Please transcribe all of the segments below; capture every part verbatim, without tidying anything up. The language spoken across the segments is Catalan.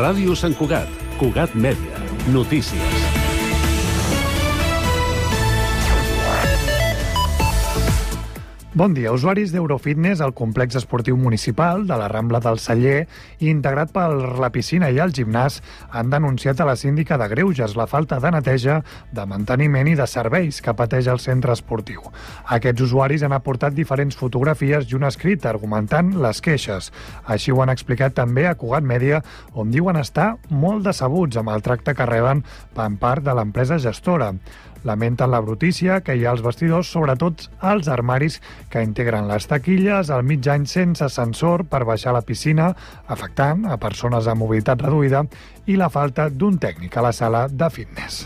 Ràdio Sant Cugat, Cugat Mèdia, notícies. Bon dia. Usuaris d'Eurofitness al complex esportiu municipal de la Rambla del Celler, integrat per la piscina i el gimnàs, han denunciat a la síndica de Greuges la falta de neteja, de manteniment i de serveis que pateix el centre esportiu. Aquests usuaris han aportat diferents fotografies i un escrit argumentant les queixes. Així ho han explicat també a Cugat Mèdia, on diuen estar molt decebuts amb el tracte que reben per part de l'empresa gestora. Lamenten la brutícia que hi ha als vestidors, sobretot als armaris que integren les taquilles, al mig any sense ascensor per baixar a la piscina, afectant a persones amb mobilitat reduïda, i la falta d'un tècnic a la sala de fitness.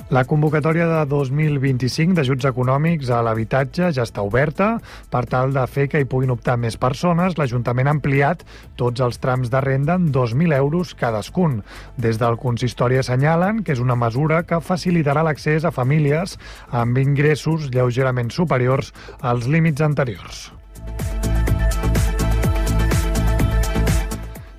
La convocatòria de dos mil vint-i-cinc d'ajuts econòmics a l'habitatge ja està oberta. Per tal de fer que hi puguin optar més persones, l'Ajuntament ha ampliat tots els trams de renda en dos mil euros cadascun. Des del consistori assenyalen que és una mesura que facilitarà l'accés a famílies amb ingressos lleugerament superiors als límits anteriors.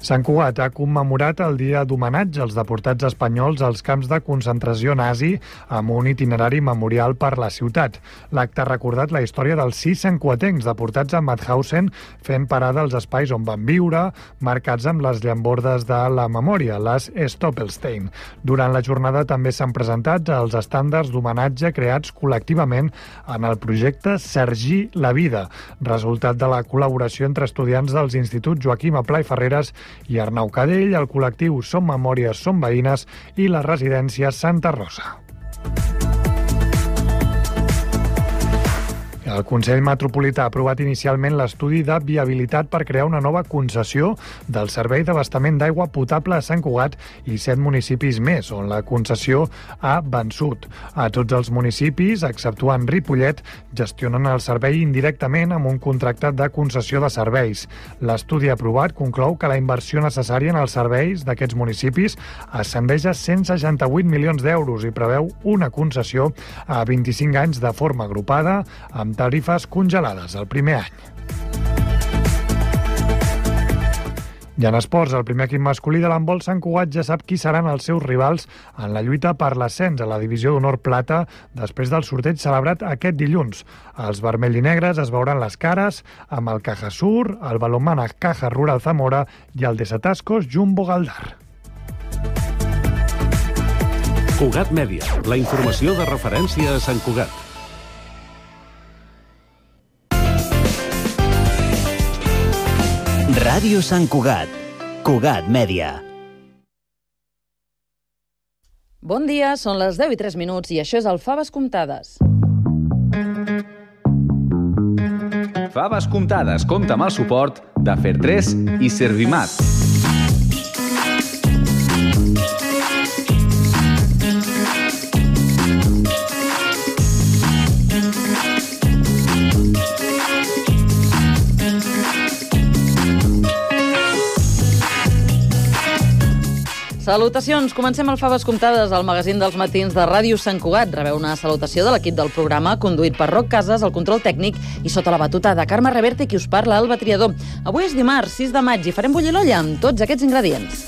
Sant Cugat ha commemorat el dia d'homenatge als deportats espanyols als camps de concentració nazi amb un itinerari memorial per la ciutat. L'acte ha recordat la història dels sis santcugatencs deportats a Mauthausen fent parada als espais on van viure, marcats amb les llambordes de la memòria, les Stoppelstein. Durant la jornada també s'han presentat els estàndards d'homenatge creats col·lectivament en el projecte Sergi la Vida, resultat de la col·laboració entre estudiants dels instituts Joaquim Aplà i Ferreres i Arnau Cadell, el col·lectiu Som Memòries, Som Veïnes i la residència Santa Rosa. El Consell Metropolità ha aprovat inicialment l'estudi de viabilitat per crear una nova concessió del servei d'abastament d'aigua potable a Sant Cugat i set municipis més, on la concessió ha vençut. A tots els municipis, exceptuant Ripollet, gestionen el servei indirectament amb un contracte de concessió de serveis. L'estudi aprovat conclou que la inversió necessària en els serveis d'aquests municipis ascendeix a cent seixanta-vuit milions d'euros i preveu una concessió a vint-i-cinc anys de forma agrupada, amb tarifes congelades el primer any. I en esports, el primer equip masculí de l'handbol Sant Cugat ja sap qui seran els seus rivals en la lluita per l'ascens a la divisió d'honor plata després del sorteig celebrat aquest dilluns. Els vermell i negres es veuran les cares amb el Caja Sur, el Balonmana Caja Rural Zamora i el Desatascos Jumbo Galdar. Cugat Mèdia, la informació de referència a Sant Cugat. Ràdio Sant Cugat, Cugat Mèdia. Bon dia, són les deu i tres minuts i això és el Faves Comptades. Faves Comptades compta amb el suport de Fertres i Servimat. Salutacions! Comencem el Faves Comptades, el magazín dels matins de Ràdio Sant Cugat. Rebeu una salutació de l'equip del programa, conduït per Roc Casas, el control tècnic, i sota la batuta de Carme Reverte, qui us parla, Alba Triador. Avui és dimarts, sis de maig, i farem bullir l'olla amb tots aquests ingredients.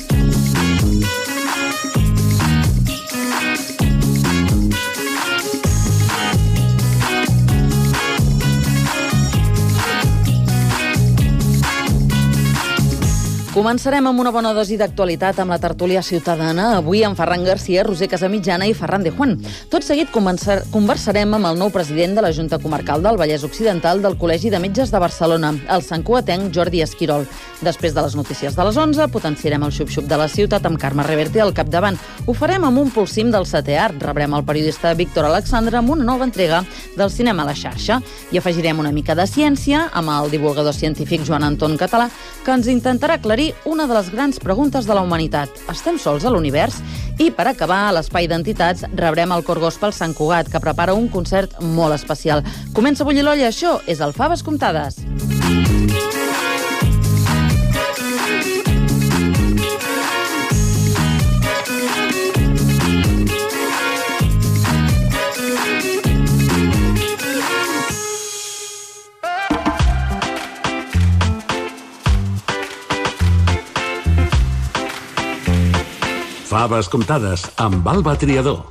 Començarem amb una bona dosi d'actualitat amb la tertúlia ciutadana, avui amb Ferran Garcia, Roser Casamitjana i Ferran de Juan. Tot seguit conversarem amb el nou president de la Junta Comarcal del Vallès Occidental del Col·legi de Metges de Barcelona, el santcugatenc Jordi Esquirol. Després de les notícies de les onze, potenciarem el xup-xup de la ciutat amb Carme Reverte al capdavant. Ho farem amb un pulsim del setè art. Rebrem el periodista Víctor Alexandre amb una nova entrega del cinema a la xarxa. I afegirem una mica de ciència amb el divulgador científic Joan Anton Català, que ens intentarà aclarir una de les grans preguntes de la humanitat. Estem sols a l'univers? I per acabar, a l'Espai d'Entitats rebrem el Cor Gospel Sant Cugat, que prepara un concert molt especial. Comença a bullir l'olla, això és el Faves Comptades. Faves comptades amb Alba Triador.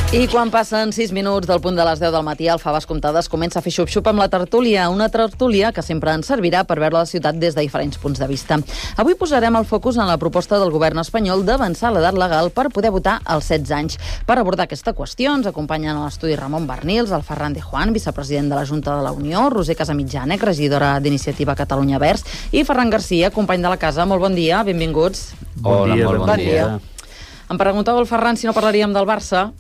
I quan passen sis minuts del punt de les deu del matí, el Faves Comptades comença a fer xup-xup amb la tertúlia, una tertúlia que sempre ens servirà per veure la ciutat des de diferents punts de vista. Avui posarem el focus en la proposta del govern espanyol d'avançar l'edat legal per poder votar als setze anys. Per abordar aquesta qüestió ens acompanyen a l'estudi Ramon Barnils, el Ferran de Juan, vicepresident de la Junta de la Unió, Roser Casamitjana, regidora d'Iniciativa Catalunya Verds, i Ferran Garcia, company de la casa. Molt bon dia, benvinguts. Hola, bon dia, molt bon, bon dia. dia. Em preguntava el Ferran si no parlaríem del Barça.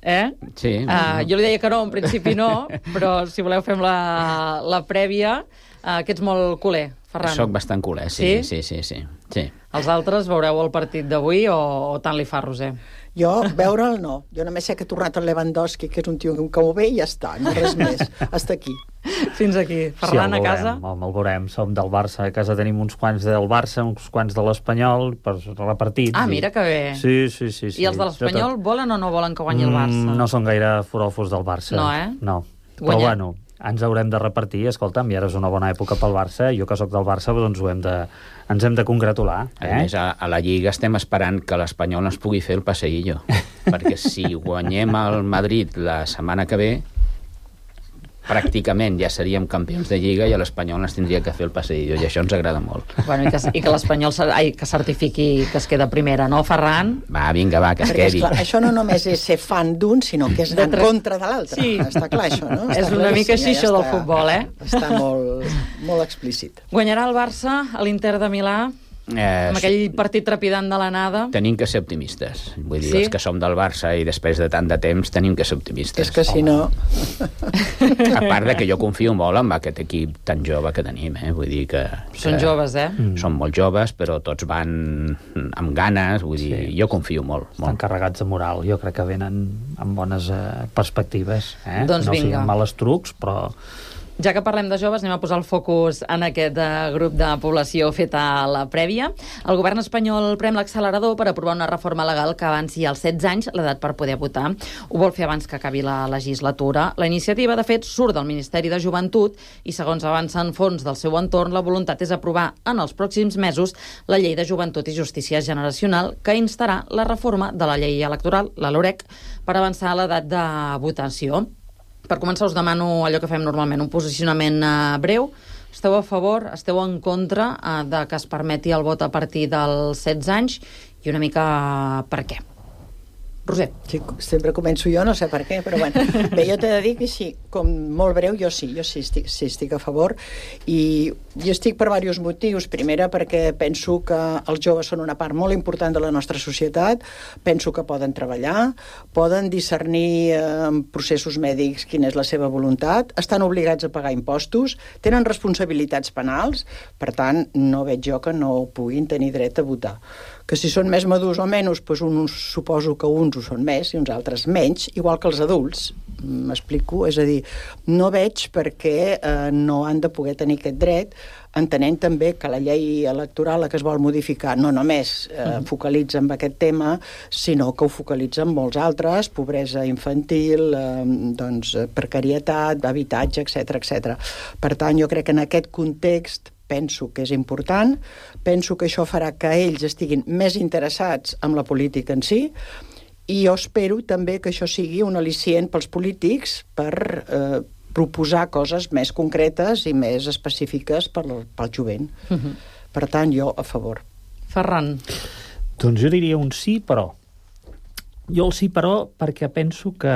Eh? Sí. Uh, jo li deia que no, en principi no, però si voleu fem la, la prèvia, uh, que ets molt culer, Ferran. Soc bastant culer, sí, sí, sí, sí, sí. sí. Els altres veureu el partit d'avui o, o tant li fa, Roser? Jo, veure'l no. Jo només sé que ha tornat el Lewandowski, que és un tio que ho ve i ja està, no res més. Hasta aquí. Fins aquí. Ferran, sí, a casa? Sí, el veurem. Som del Barça. A casa tenim uns quants del Barça, uns quants de l'Espanyol, per repartits. Ah, mira que bé. Sí, sí, sí. sí. I els de l'Espanyol volen o no volen que guanyi el Barça? Mm, no són gaire foròfos del Barça. No, eh? No. Però Guanyar. bueno, ens haurem de repartir. Escolta'm, i ara és una bona època pel Barça. Jo que sóc del Barça, doncs ho hem de, ens hem de congratular. Eh? A més, a, a la Lliga estem esperant que l'Espanyol ens pugui fer el passeillo. Perquè si guanyem el Madrid la setmana que ve, pràcticament ja seríem campions de Lliga i l'Espanyol ens tindria que fer el passeillo, i això ens agrada molt. Bueno, i que, i que l'Espanyol ai, que certifiqui que es queda primera, no, Ferran? Va, vinga, va, que es Perquè, quedi. Esclar, això no només és ser fan d'un, sinó que és anar en contra de l'altre. Sí. Està clar, això, no? Està És una mica així, això del futbol, eh? Està molt, molt explícit. Guanyarà el Barça a l'Inter de Milà, Eh, amb aquell partit trepidant de l'anada. Tenim que ser optimistes. Vull dir, Sí? els que som del Barça i després de tant de temps tenim que ser optimistes. És que si no... A part de que jo confio molt en aquest equip tan jove que tenim, eh? Vull dir que... Són que joves, eh? Són molt joves, però tots van amb ganes, vull dir, Sí. jo confio molt. Estan molt. carregats de moral. Jo crec que venen amb bones eh, perspectives. Eh? Doncs no vinga. siguin males trucs, però... Ja que parlem de joves, anem a posar el focus en aquest uh, grup de població feta a la prèvia. El govern espanyol prem l'accelerador per aprovar una reforma legal que avanci als setze anys l'edat per poder votar. Ho vol fer abans que acabi la legislatura. La iniciativa, de fet, surt del Ministeri de Joventut i, segons avancen fons del seu entorn, la voluntat és aprovar en els pròxims mesos la Llei de Joventut i Justícia Generacional, que instarà la reforma de la llei electoral, la LOREC, per avançar l'edat de votació. Per començar, us demano allò que fem normalment, un posicionament uh, breu. Esteu a favor, esteu en contra uh, de que es permeti el vot a partir dels setze anys i una mica uh, per què? Roser. Sí, sempre començo jo, no sé per què, però bueno. Bé, jo t'he de dir que sí, com molt breu, jo sí, jo sí estic, sí estic a favor, i jo estic per diversos motius. Primera, perquè penso que els joves són una part molt important de la nostra societat, penso que poden treballar, poden discernir en eh, processos mèdics quina és la seva voluntat, estan obligats a pagar impostos, tenen responsabilitats penals, per tant, no veig jo que no puguin tenir dret a votar. Que si són més madurs o menys, doncs un, suposo que uns ho són més i uns altres menys, igual que els adults. M'explico? És a dir, no veig per què eh, no han de poder tenir aquest dret, entenent també que la llei electoral que es vol modificar no només eh, focalitza en aquest tema, sinó que ho focalitza en molts altres, pobresa infantil, eh, doncs, precarietat, habitatge, etcètera, etcètera. Per tant, jo crec que en aquest context penso que és important, penso que això farà que ells estiguin més interessats en la política en si, i jo espero també que això sigui un al·licient pels polítics per eh, proposar coses més concretes i més específiques pel, pel jovent. Uh-huh. Per tant, jo a favor. Ferran. Doncs jo diria un sí, però. Jo el sí, però, perquè penso que...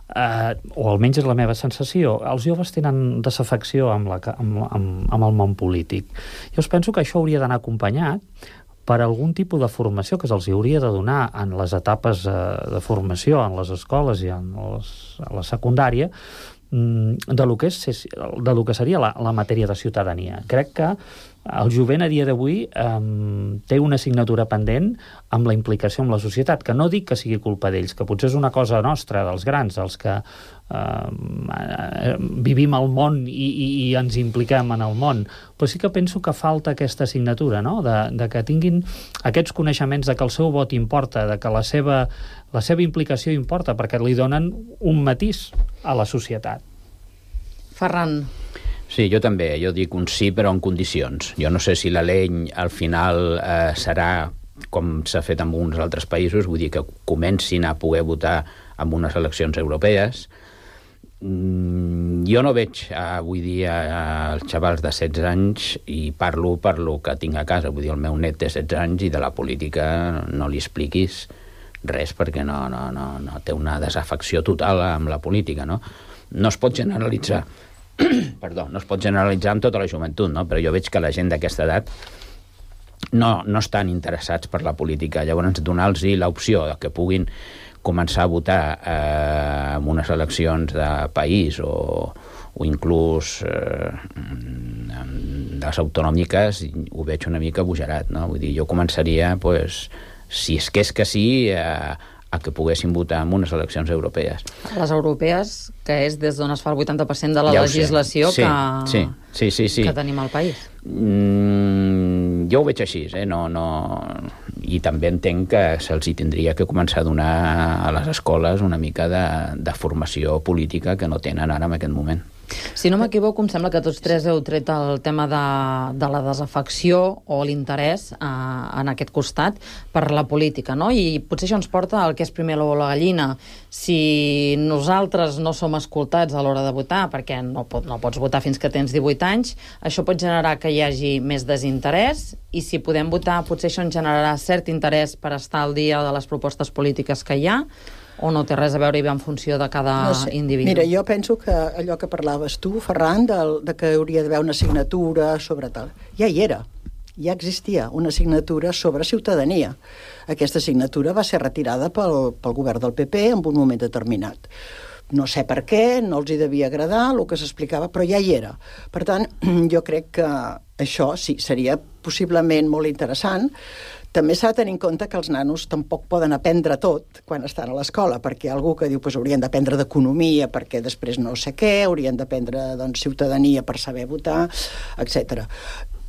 Uh, o almenys és la meva sensació, els joves tenen desafecció amb, la, amb, amb, amb el món polític. Jo us penso que això hauria d'anar acompanyat per algun tipus de formació que se'ls hauria de donar en les etapes uh, de formació, en les escoles i en les, a la secundària, um, de lo que, és, de lo que seria la, la matèria de ciutadania. Crec que el jovent a dia d'avui um, té una assignatura pendent amb la implicació amb la societat, que no dic que sigui culpa d'ells, que potser és una cosa nostra, dels grans, els que uh, vivim al món i, i, i ens impliquem en el món, però sí que penso que falta aquesta assignatura, no? de, de que tinguin aquests coneixements, de que el seu vot importa, de que la seva, la seva implicació importa, perquè li donen un matís a la societat. Ferran. Sí, jo també, jo dic un sí, però en condicions. Jo no sé si la llei al final eh, serà com s'ha fet en uns altres països, vull dir que comencin a poder votar en unes eleccions europees. Mm, jo no veig avui dia els xavals de setze anys i parlo per lo que tinc a casa, vull dir, el meu net té setze anys i de la política no li expliquis res perquè no, no, no, no té una desafecció total amb la política, no? No es pot generalitzar perdó, no es pot generalitzar amb tota la joventut, no? Però jo veig que la gent d'aquesta edat no, no estan interessats per la política. Llavors, donar-los l'opció de que puguin començar a votar eh, en unes eleccions de país o, o inclús eh, de les autonòmiques, ho veig una mica bogerat, no? Vull dir, jo començaria, pues, si és que és que sí, eh, a que poguessin votar en unes eleccions europees. Les europees, que és des d'on es fa el vuitanta per cent de la ja legislació sí, que, sí, sí, sí, sí. que tenim al país. Mm, jo ho veig així, eh? no, no... i també entenc que se'ls hi tindria que començar a donar a les escoles una mica de, de formació política que no tenen ara en aquest moment. Si no m'equivoco, em sembla que tots tres heu tret el tema de, de la desafecció o l'interès eh, en aquest costat per la política, no? I potser això ens porta al que és primer l'ou o la gallina. Si nosaltres no som escoltats a l'hora de votar, perquè no, pot, no pots votar fins que tens divuit anys, això pot generar que hi hagi més desinterès, i si podem votar, potser això ens generarà cert interès per estar al dia de les propostes polítiques que hi ha, o no té res a veure i ve en funció de cada no sé. individu? Mira, jo penso que allò que parlaves tu, Ferran, de, de que hauria d'haver una assignatura sobre tal, ja hi era. Ja existia una assignatura sobre ciutadania. Aquesta assignatura va ser retirada pel, pel govern del P P en un moment determinat. No sé per què, no els hi devia agradar el que s'explicava, però ja hi era. Per tant, jo crec que això sí, seria possiblement molt interessant. També s'ha de tenir en compte que els nanos tampoc poden aprendre tot quan estan a l'escola, perquè hi ha algú que diu que pues, haurien d'aprendre d'economia perquè després no sé què, haurien d'aprendre doncs, ciutadania per saber votar, etcètera.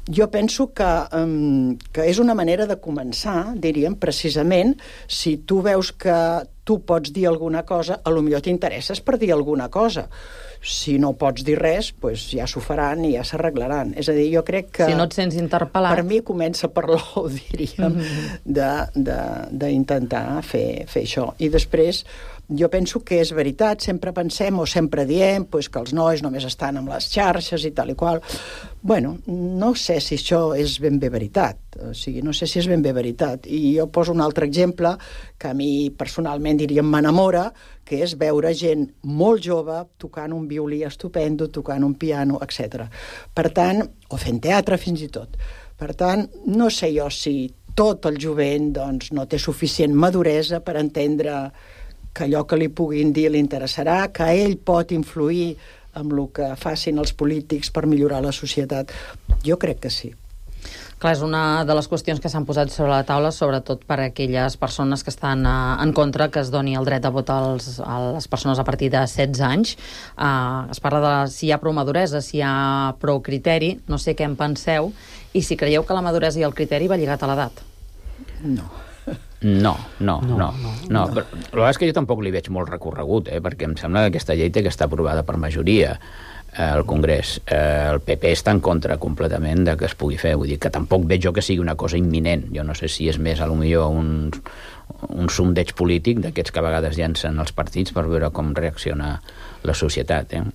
Jo penso que, um, que és una manera de començar, diríem, precisament, si tu veus que tu pots dir alguna cosa, a lo millor t'interesses per dir alguna cosa. Si no pots dir res, pues ja s'ho faran i ja s'arreglaran. És a dir, jo crec que... Si no et sents interpel·lat... Per mi comença per l'ou, diríem, mm-hmm. d'intentar fer, fer això. I després, jo penso que és veritat, sempre pensem o sempre diem pues, que els nois només estan amb les xarxes i tal i qual. Bueno, no sé si això és ben bé veritat. O sigui, no sé si és ben bé veritat. I jo poso un altre exemple que a mi personalment, diríem, m'enamora, que és veure gent molt jove tocant un violí estupendo, tocant un piano, etcètera. Per tant, o fent teatre fins i tot. Per tant, no sé jo si tot el jovent doncs, no té suficient maduresa per entendre que allò que li puguin dir li interessarà, que ell pot influir amb el que facin els polítics per millorar la societat. Jo crec que sí. Clar, és una de les qüestions que s'han posat sobre la taula, sobretot per a aquelles persones que estan uh, en contra que es doni el dret a votar als, a les persones a partir de setze anys. Uh, es parla de si hi ha prou maduresa, si hi ha prou criteri, no sé què en penseu, i si creieu que la maduresa i el criteri va lligat a l'edat. No. No, no, no. no, no, no. Però, la veritat és que jo tampoc li veig molt recorregut, eh, perquè em sembla que aquesta llei té que està aprovada per majoria al Congrés. Eh, el P P està en contra completament de que es pugui fer. Vull dir que tampoc veig jo que sigui una cosa imminent. Jo no sé si és més, a lo millor, un, un sondeig polític d'aquests que a vegades llancen els partits per veure com reacciona la societat, eh?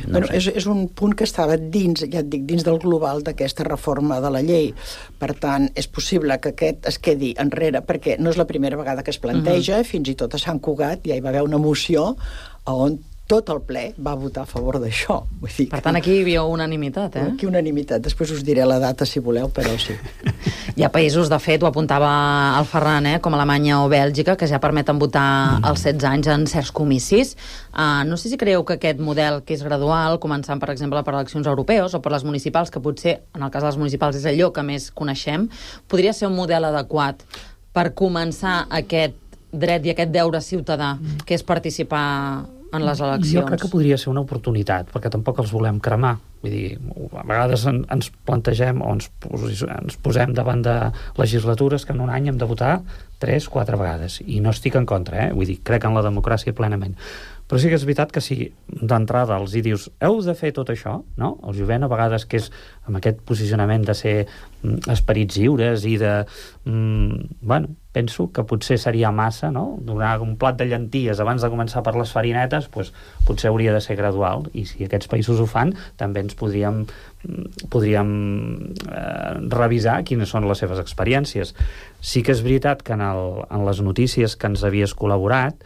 No bueno, és, és un punt que estava dins, ja et dic, dins del global d'aquesta reforma de la llei. Per tant, és possible que aquest es quedi enrere, perquè no és la primera vegada que es planteja, uh-huh. Fins i tot a Sant Cugat ja hi va haver una moció on tot el ple va votar a favor d'això. Vull dir per tant, aquí hi havia unanimitat, eh? Aquí unanimitat. Després us diré la data, si voleu, però sí. Hi ha països, de fet, ho apuntava el Ferran, eh, com Alemanya o Bèlgica, que ja permeten votar mm. als setze anys en certs comicis. Uh, no sé si creieu que aquest model, que és gradual, començant, per exemple, per eleccions europeus o per les municipals, que potser, en el cas de les municipals, és allò que més coneixem, podria ser un model adequat per començar aquest dret i aquest deure ciutadà, mm. que és participar en les eleccions. Jo crec que podria ser una oportunitat, perquè tampoc els volem cremar. Vull dir, a vegades en, ens plantegem o ens, posi, ens posem davant de legislatures que en un any hem de votar tres, quatre vegades. I no estic en contra, eh? Vull dir, crec en la democràcia plenament. Però sí que és veritat que si d'entrada els hi dius heu de fer tot això, no? El jovent a vegades que és amb aquest posicionament de ser mm, esperits lliures i de... Mm, bueno, penso que potser seria massa, no? Donar un plat de llenties abans de començar per les farinetes, doncs, potser hauria de ser gradual, i si aquests països ho fan, també ens podríem, podríem eh, revisar quines són les seves experiències. Sí que és veritat que en, el, en les notícies que ens havies col·laborat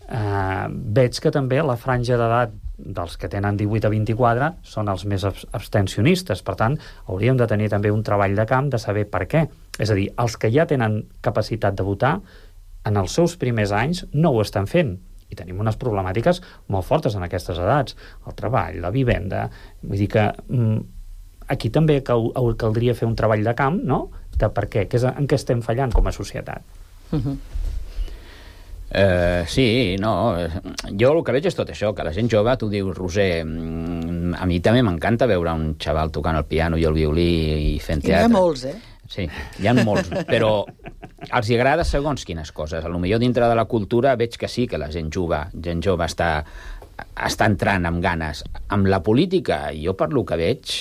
Uh, veig que també la franja d'edat dels que tenen divuit a vint-i-quatre són els més abstencionistes, per tant hauríem de tenir també un treball de camp de saber per què, és a dir, els que ja tenen capacitat de votar en els seus primers anys no ho estan fent, i tenim unes problemàtiques molt fortes en aquestes edats, el treball, la vivenda, vull dir que mm, aquí també cal, caldria fer un treball de camp, no?, de per què, que és en què estem fallant com a societat. Uh-huh. Uh, sí, no, jo el que veig és tot això, que la gent jove, tu dius, Roser, a mi també m'encanta veure un xaval tocant el piano i el violí i fent teatre. I hi ha molts, eh? Sí, hi ha molts, però els hi agrada segons quines coses. A lo millor dintre de la cultura veig que sí, que la gent jove, gent jove està, està entrant amb ganes. Amb la política, jo per lo que veig,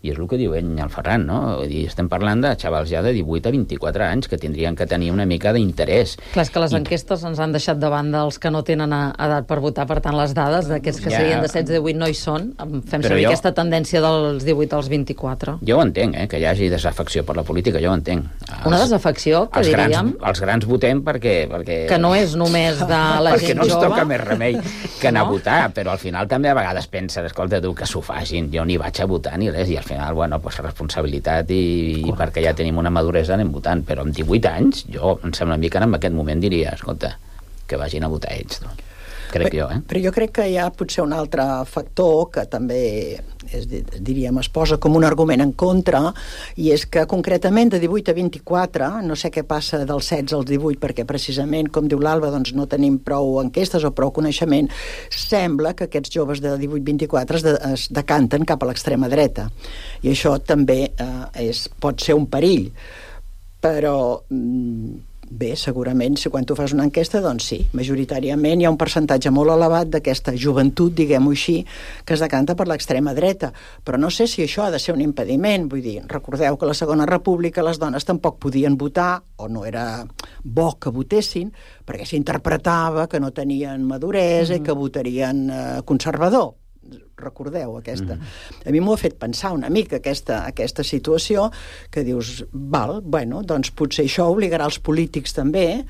i és el que diu ell, el Ferran, no? Vull dir, estem parlant de xavals ja de divuit a vint-i-quatre anys que tindrien que tenir una mica d'interès. Clar, és que les I... enquestes ens han deixat de banda els que no tenen edat per votar, per tant les dades d'aquests que ja... serien de setze a divuit no hi són. Fem servir jo... aquesta tendència dels divuit als vint-i-quatre. Jo ho entenc, eh, que hi hagi desafecció per la política, jo ho entenc. Els... Una desafecció, que els diríem... Grans, els grans votem perquè... perquè... Que no és només de la perquè gent no jove. Perquè no ens toca més remei que anar no? a votar, però al final també a vegades pensen, escolta tu, que s'ho facin, jo ni vaig a votar ni res, i al final, bueno, pues responsabilitat i, i perquè ja tenim una maduresa anem votant, però amb divuit anys jo em sembla a mi que en aquest moment diria escolta, que vagin a votar ells, no? Crec però, jo, eh? Però jo crec que hi ha potser un altre factor que també és, diríem, es posa com un argument en contra, i és que concretament de divuit a vint-i-quatre, no sé què passa dels setze als divuit, perquè precisament, com diu l'Alba, doncs no tenim prou enquestes o prou coneixement, sembla que aquests joves de divuit a vint-i-quatre es, de, es decanten cap a l'extrema dreta, i això també eh, és, pot ser un perill, però... Mm, bé, segurament, si quan tu fas una enquesta, doncs sí, majoritàriament hi ha un percentatge molt elevat d'aquesta joventut, diguem-ho així, que es decanta per l'extrema dreta. Però no sé si això ha de ser un impediment. Vull dir, recordeu que a la Segona República les dones tampoc podien votar, o no era bo que votessin, perquè s'interpretava que no tenien maduresa mm-hmm. i que votarien eh, conservador. Recordeu aquesta. Mm. A mi m'ho ha fet pensar una mica aquesta, aquesta situació, que dius, val, bueno, doncs potser això obligarà els polítics també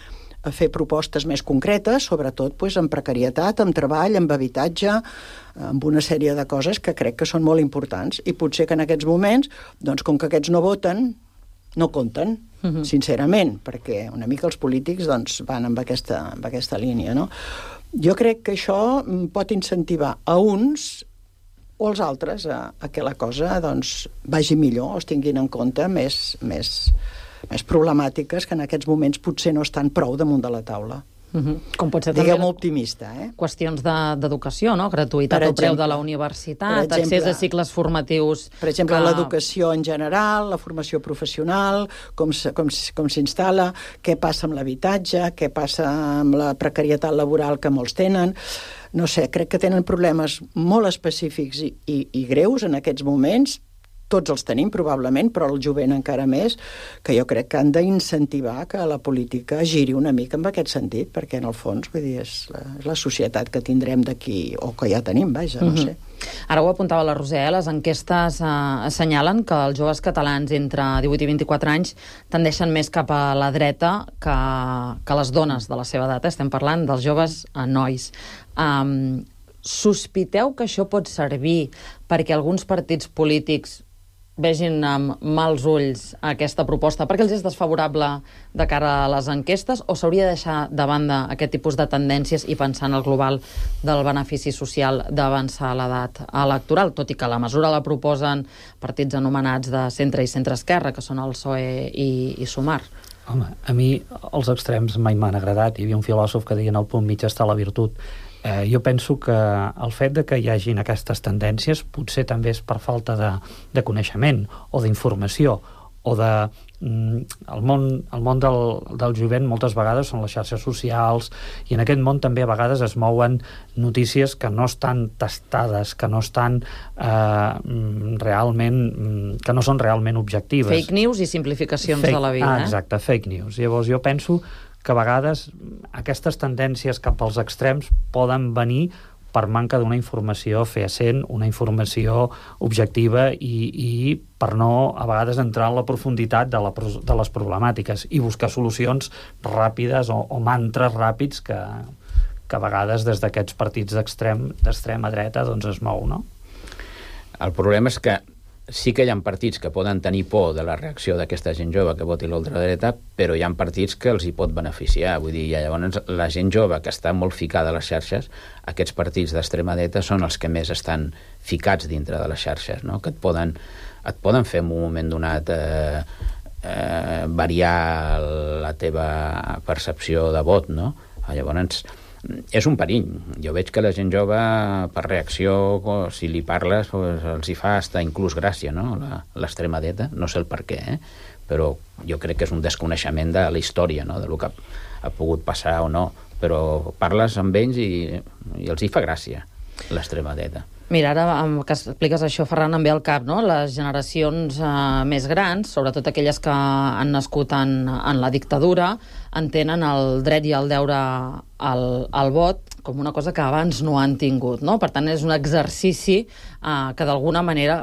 a fer propostes més concretes, sobretot pues, en precarietat, en treball, en habitatge, amb una sèrie de coses que crec que són molt importants, i potser que en aquests moments, doncs com que aquests no voten, no compten, mm-hmm. sincerament, perquè una mica els polítics doncs, van amb aquesta, amb aquesta línia, no? Jo crec que això pot incentivar a uns o als altres a, a que la cosa doncs, vagi millor, o es tinguin en compte més, més, més problemàtiques que en aquests moments potser no estan prou damunt de la taula. Uh-huh. Com pot ser Diguem també optimista, eh? Qüestions d'educació, de, no? Gratuïtat al preu de la universitat, exemple, accés a cicles formatius... Per exemple, que... l'educació en general, la formació professional, com, com, com s'instal·la, què passa amb l'habitatge, què passa amb la precarietat laboral que molts tenen... No sé, crec que tenen problemes molt específics i, i, i greus en aquests moments. Tots els tenim, probablement, però el jovent encara més, que jo crec que han d'incentivar que la política giri una mica en aquest sentit, perquè en el fons, vull dir, és la, és la societat que tindrem d'aquí, o que ja tenim, vaja, no sé. Mm-hmm. Ara ho apuntava la Roser, eh? Les enquestes eh, assenyalen que els joves catalans entre divuit i vint-i-quatre anys tendeixen més cap a la dreta que, que les dones de la seva edat. Estem parlant dels joves eh, nois. Um, sospiteu que això pot servir perquè alguns partits polítics vegin amb mals ulls aquesta proposta perquè els és desfavorable de cara a les enquestes, o s'hauria de deixar de banda aquest tipus de tendències i pensar en el global del benefici social d'avançar l'edat electoral, tot i que la mesura la proposen partits anomenats de centre i centre-esquerra, que són el P S O E i, i Sumar? Home, a mi els extrems mai m'han agradat. Hi havia un filòsof que deia en el punt mig està la virtut. Eh, jo penso que el fet de que hi hagin aquestes tendències potser també és per falta de, de coneixement o d'informació o de... Mm, el món, el món del, del jovent moltes vegades són les xarxes socials i en aquest món també a vegades es mouen notícies que no estan testades, que no estan eh, realment que no són realment objectives. Fake news i simplificacions fake, de la vida. Ah, exacte, fake news. Llavors jo penso que a vegades aquestes tendències cap als extrems poden venir per manca d'una informació fehacent, una informació objectiva i, i per no, a vegades, entrar en la profunditat de, la, de les problemàtiques i buscar solucions ràpides o, o mantres ràpids que, que a vegades des d'aquests partits d'extrem, d'extrema dreta doncs es mou, no? El problema és que sí que hi ha partits que poden tenir por de la reacció d'aquesta gent jove que voti l'ultradreta, però hi ha partits que els hi pot beneficiar. Vull dir, llavors la gent jove que està molt ficada a les xarxes, aquests partits d'extrema dreta són els que més estan ficats dintre de les xarxes, no? Que et poden, et poden fer en un moment donat eh, eh, variar la teva percepció de vot, no? Llavors és un perill. Jo veig que la gent jove, per reacció, si li parles, pues, els hi fa hasta inclús gràcia, no? L'extrema dreta, no sé el per què, eh? Però jo crec que és un desconeixement de la història, no? De lo que ha, ha pogut passar o no. Però parles amb ells i, i els hi fa gràcia, l'extrema dreta. Mira, ara que expliques això, Ferran, em ve al cap, no? Les generacions eh, més grans, sobretot aquelles que han nascut en, en la dictadura, entenen el dret i el deure al, al vot com una cosa que abans no han tingut, no? Per tant, és un exercici eh, que d'alguna manera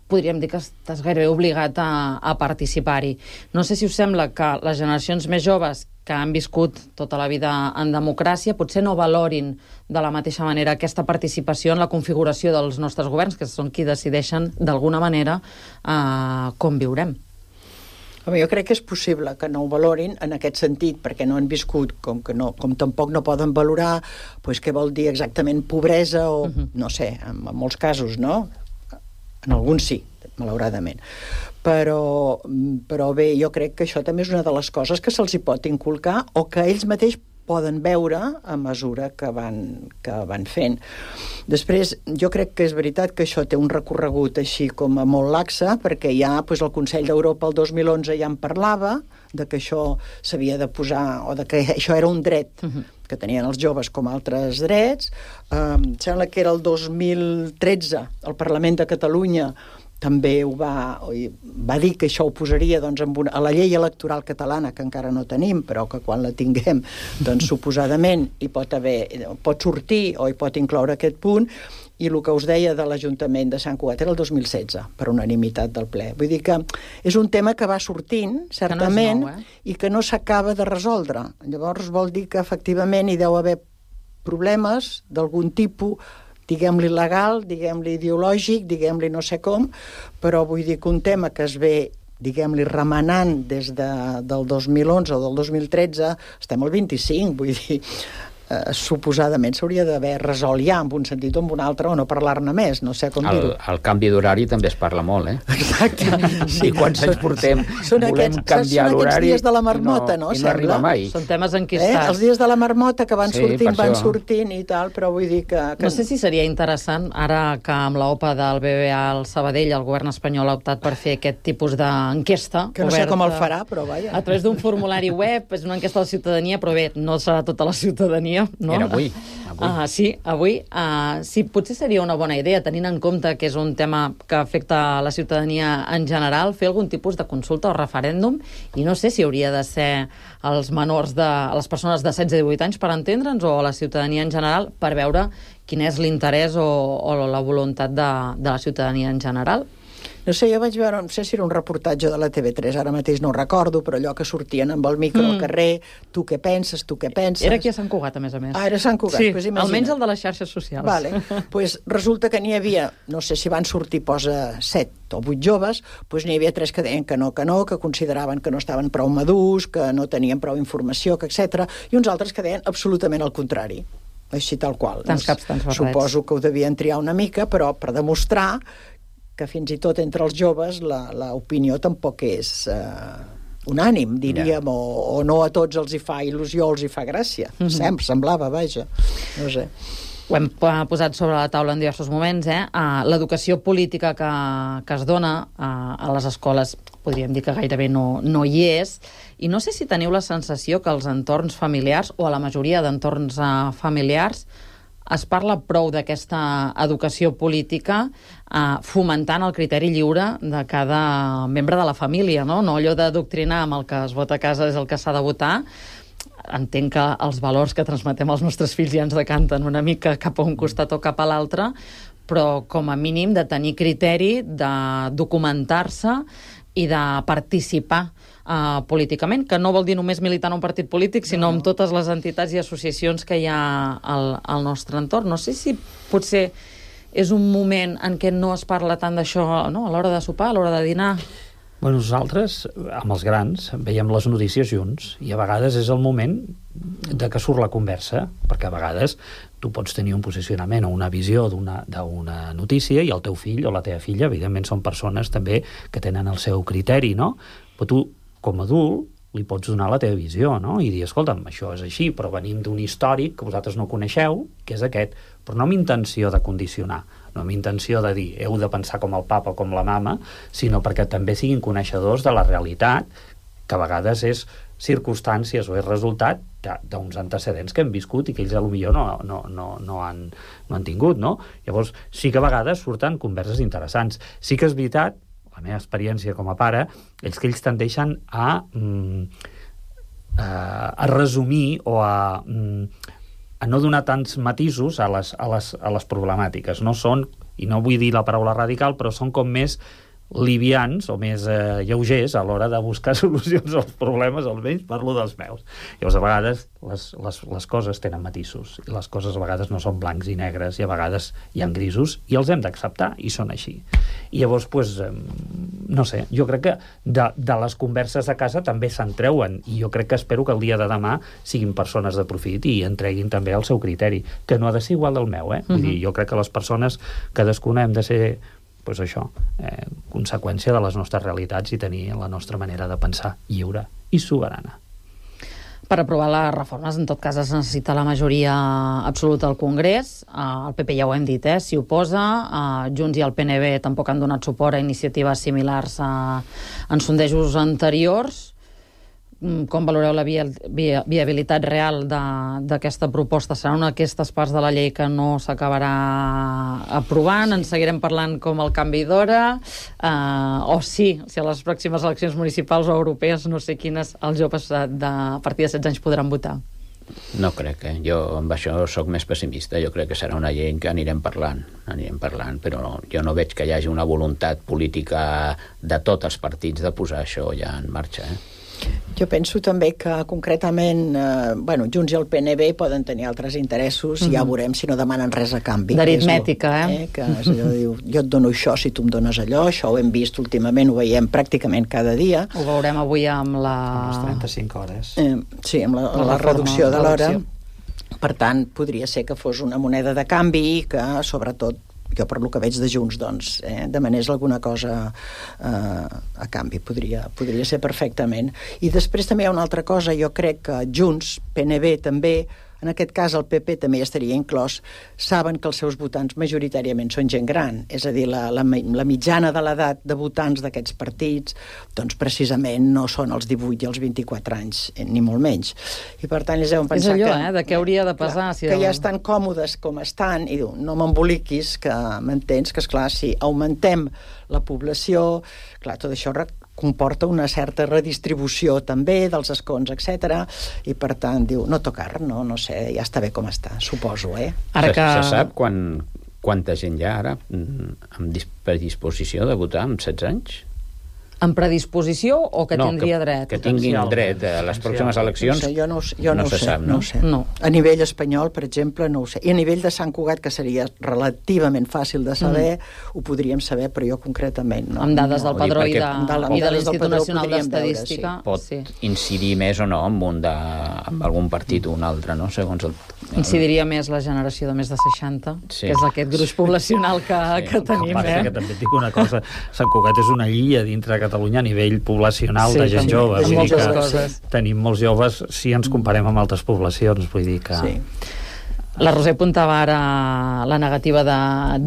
podríem dir que estàs gairebé obligat a, a participar-hi. No sé si us sembla que les generacions més joves que han viscut tota la vida en democràcia potser no valorin de la mateixa manera aquesta participació en la configuració dels nostres governs, que són qui decideixen d'alguna manera eh, com viurem. Home, jo crec que és possible que no ho valorin en aquest sentit, perquè no han viscut, com que no, com tampoc no poden valorar pues, què vol dir exactament pobresa o, uh-huh. no sé, en, en molts casos, no? En alguns sí, malauradament. Però, però bé, jo crec que això també és una de les coses que se'ls hi pot inculcar o que ells mateix poden veure a mesura que van, que van fent. Després, jo crec que és veritat que això té un recorregut així com a molt laxa, perquè ja doncs, el Consell d'Europa el dos mil onze ja en parlava, de que això s'havia de posar, o de que això era un dret uh-huh. que tenien els joves com altres drets. Um, sembla que era el dos mil tretze, el Parlament de Catalunya també ho va, va dir que això ho posaria doncs, en una, a la llei electoral catalana, que encara no tenim, però que quan la tinguem, doncs suposadament hi pot haver, pot sortir o hi pot incloure aquest punt, i el que us deia de l'Ajuntament de Sant Cugat era el dos mil setze, per unanimitat del ple. Vull dir que és un tema que va sortint, certament, no nou, eh? I que no s'acaba de resoldre. Llavors vol dir que efectivament hi deu haver problemes d'algun tipus, diguem-li legal, diguem-li ideològic, diguem-li no sé com, però vull dir que un tema que es ve, diguem-li, remenant des de, del dos mil onze o del dos mil tretze, estem al vint-i-cinc, vull dir, eh, suposadament s'hauria d'haver resolt ja, en un sentit o en un altre, o no parlar-ne més, no sé com el, dir-ho. El canvi d'horari també es parla molt, eh? Exacte. Sí, I quants anys portem són volem aquests, canviar l'horari són aquests dies de la marmota, no? I no, i no arriba mai. Són temes enquistats. Eh? Els dies de la marmota que van sí, sortint, van això. sortint i tal, però vull dir que... que... No sé si seria interessant, ara que amb l'OPA del B B A al Sabadell el govern espanyol ha optat per fer aquest tipus d'enquesta. Que no sé com el farà, però vaja. A través d'un formulari web, és una enquesta a la ciutadania, però bé, no serà tota la ciutadania, no? Era avui. Avui. Uh, sí, avui. Uh, sí, potser seria una bona idea, tenint en compte que és un tema que afecta a la ciutadania en general, fer algun tipus de consulta o referèndum, i no sé si hauria de ser els menors de... les persones de setze a divuit anys, per entendre'ns, o la ciutadania en general, per veure quin és l'interès o, o la voluntat de, de la ciutadania en general. No sé, jo vaig veure, no sé si era un reportatge de la T V tres, ara mateix no ho recordo, però allò que sortien amb el micro mm. al carrer, tu què penses, tu què penses... Era aquí a Sant Cugat, a més a més. Ah, era a Sant Cugat. Sí, pues almenys el de les xarxes socials. Vale. Pues resulta que n'hi havia, no sé si van sortir, posa set o vuit joves, pues n'hi havia tres que deien que no, que no, que consideraven que no estaven prou madurs, que no tenien prou informació, que etcètera, i uns altres que deien absolutament el contrari. Així tal qual. Tants caps, tants barrets. Suposo que ho devien triar una mica, però per demostrar que fins i tot entre els joves l'opinió tampoc és uh, unànim, diríem, yeah. o, o no a tots els hi fa il·lusió, els hi fa gràcia. Mm-hmm. Sempre semblava, vaja. No sé. Ho hem posat sobre la taula en diversos moments, eh? Uh, l'educació política que, que es dona uh, a les escoles, podríem dir que gairebé no, no hi és, i no sé si teniu la sensació que als entorns familiars, o a la majoria d'entorns uh, familiars, es parla prou d'aquesta educació política eh, fomentant el criteri lliure de cada membre de la família, no? No allò d'adoctrinar amb el que es vota a casa és el que s'ha de votar. Entenc que els valors que transmetem als nostres fills ja ens decanten una mica cap a un costat o cap a l'altre, però com a mínim de tenir criteri, de documentar-se i de participar Uh, políticament, que no vol dir només militar en un partit polític, sinó no, no. amb totes les entitats i associacions que hi ha al, al nostre entorn. No sé si potser és un moment en què no es parla tant d'això, no? A l'hora de sopar, a l'hora de dinar. Bueno, nosaltres, amb els grans, veiem les notícies junts, i a vegades és el moment de que surt la conversa, perquè a vegades tu pots tenir un posicionament o una visió d'una d'una notícia, i el teu fill o la teva filla, evidentment, són persones també que tenen el seu criteri, no? Però tu, com a adult, li pots donar la teva visió, no? I dir, escolta'm, això és així, però venim d'un històric que vosaltres no coneixeu, que és aquest, però no amb intenció de condicionar, no amb intenció de dir, heu de pensar com el papa o com la mama, sinó perquè també siguin coneixedors de la realitat, que a vegades és circumstàncies o és resultat d'uns antecedents que hem viscut i que ells potser no, no, no, no, han, no han tingut, no? Llavors, sí que a vegades surten converses interessants. Sí que és veritat, la meva experiència com a pare, és que ells tendeixen a, mm, a, a resumir o a, mm, a no donar tants matisos a les, a, les, a les problemàtiques. No són, i no vull dir la paraula radical, però són com més livians o més eh, lleugers a l'hora de buscar solucions als problemes, almenys parlo dels meus. Llavors, a vegades les, les, les coses tenen matisos, i les coses a vegades no són blancs i negres, i a vegades hi ha grisos, i els hem d'acceptar, i són així. I llavors, pues, eh, no sé, jo crec que de, de les converses a casa també se'n treuen, i jo crec que espero que el dia de demà siguin persones de profit i entreguin també el seu criteri, que no ha de ser igual del meu, eh? Vull dir, jo crec que les persones, cadascuna hem de ser pues això, eh, conseqüència de les nostres realitats i tenir la nostra manera de pensar lliure i soberana. Per aprovar les reformes, en tot cas, es necessita la majoria absoluta al Congrés. Uh, el P P ja ho hem dit, eh? S'hi oposa. Uh, Junts i el P N B tampoc han donat suport a iniciatives similars uh, en sondejos anteriors. Com valoreu la via, via, viabilitat real d'aquesta proposta? Serà una d'aquestes parts de la llei que no s'acabarà aprovant? Sí. En seguirem parlant com el canvi d'hora? Uh, o sí, si a les pròximes eleccions municipals o europees, no sé quines, els joves de, de a partir de setze anys podran votar? No crec, eh? Jo amb això sóc més pessimista. Jo crec que serà una llei que anirem parlant, anirem parlant, però no, jo no veig que hi hagi una voluntat política de tots els partits de posar això ja en marxa, eh? Jo penso també que concretament eh, bueno, Junts i el P N B poden tenir altres interessos, mm-hmm. i ja veurem si no demanen res a canvi. D'aritmètica, eh? eh? Que és allò, diu, jo et dono això si tu em dones allò, això ho hem vist últimament, ho veiem pràcticament cada dia. Ho veurem avui amb la... Amb les trenta-cinc hores. Eh, sí, amb la, la, la reducció de l'hora. Per tant, podria ser que fos una moneda de canvi que, sobretot, jo per lo que veig de Junts, doncs, eh, demanés alguna cosa eh, a canvi, podria, podria ser perfectament. I després també hi ha una altra cosa, jo crec que Junts, P N B també, en aquest cas el P P també hi estaria inclòs, saben que els seus votants majoritàriament són gent gran, és a dir, la, la, la mitjana de l'edat de votants d'aquests partits, doncs precisament no són els divuit i els vint-i-quatre anys, ni molt menys. I per tant, ells deuen pensar és allò, que... eh, de què hauria de pesar. Clar, si que el... ja estan còmodes com estan, i diu, no m'emboliquis, que m'entens, que esclar, si augmentem la població, clar, tot això comporta una certa redistribució també dels escons, etcètera, i per tant diu, no tocar, no, no sé, ja està bé com està, suposo, eh? Ara que... Se, se sap quan, quanta gent hi ha ara amb predisposició de votar amb setze anys? En predisposició o que no, tindria que, dret? Que tinguin dret a les pròximes eleccions. No sé, jo no, jo no, no ho se sé, sap, no? no? Ho sé. No. A nivell espanyol, per exemple, no ho sé. I a nivell de Sant Cugat, que seria relativament fàcil de saber, mm. ho podríem saber, però jo concretament no. Amb dades no. del Padró i de, amb i de l'Institut Nacional d'Estadística. Sí. Pot sí. incidir més o no amb, un de, amb algun partit o un altre, no? Segons el... Incidiria més la generació de més de seixanta, sí. que és aquest gruix poblacional que, sí. que tenim. Passa eh? que també et dic una cosa, Sant Cugat és una illa dintre de Catalunya a nivell poblacional sí, de gent sí, jove. de Vull dir que coses. tenim molts joves si ens comparem amb altres poblacions, vull dir que... Sí. La Roser apuntava ara la negativa de,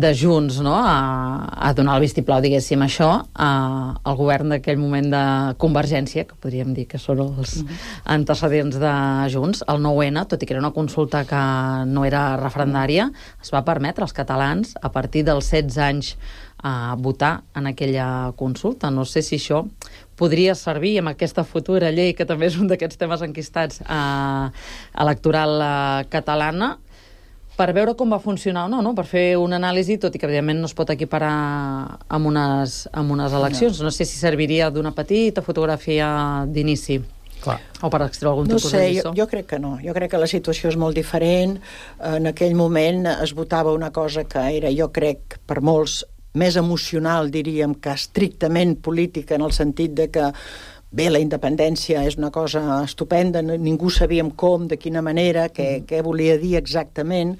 de Junts, no?, a, a donar el vistiplau, diguéssim, això, a, al govern d'aquell moment de Convergència, que podríem dir que són els antecedents de Junts. El nou ene, tot i que era una consulta que no era referendària, es va permetre als catalans, a partir dels setze anys, a votar en aquella consulta. No sé si això podria servir amb aquesta futura llei, que també és un d'aquests temes enquistats eh, electoral eh, catalana, per veure com va funcionar o no, no, per fer una anàlisi, tot i que evidentment no es pot equiparar amb unes, amb unes eleccions. No. no sé si serviria d'una petita fotografia d'inici. Clar. O per extreure algun no tipus sé, de lliçó. jo, jo crec que no. Jo crec que la situació és molt diferent. En aquell moment es votava una cosa que era, jo crec, per molts, més emocional, diríem, que estrictament política, en el sentit de que, bé, la independència és una cosa estupenda, ningú sabíem com, de quina manera, què, què volia dir exactament,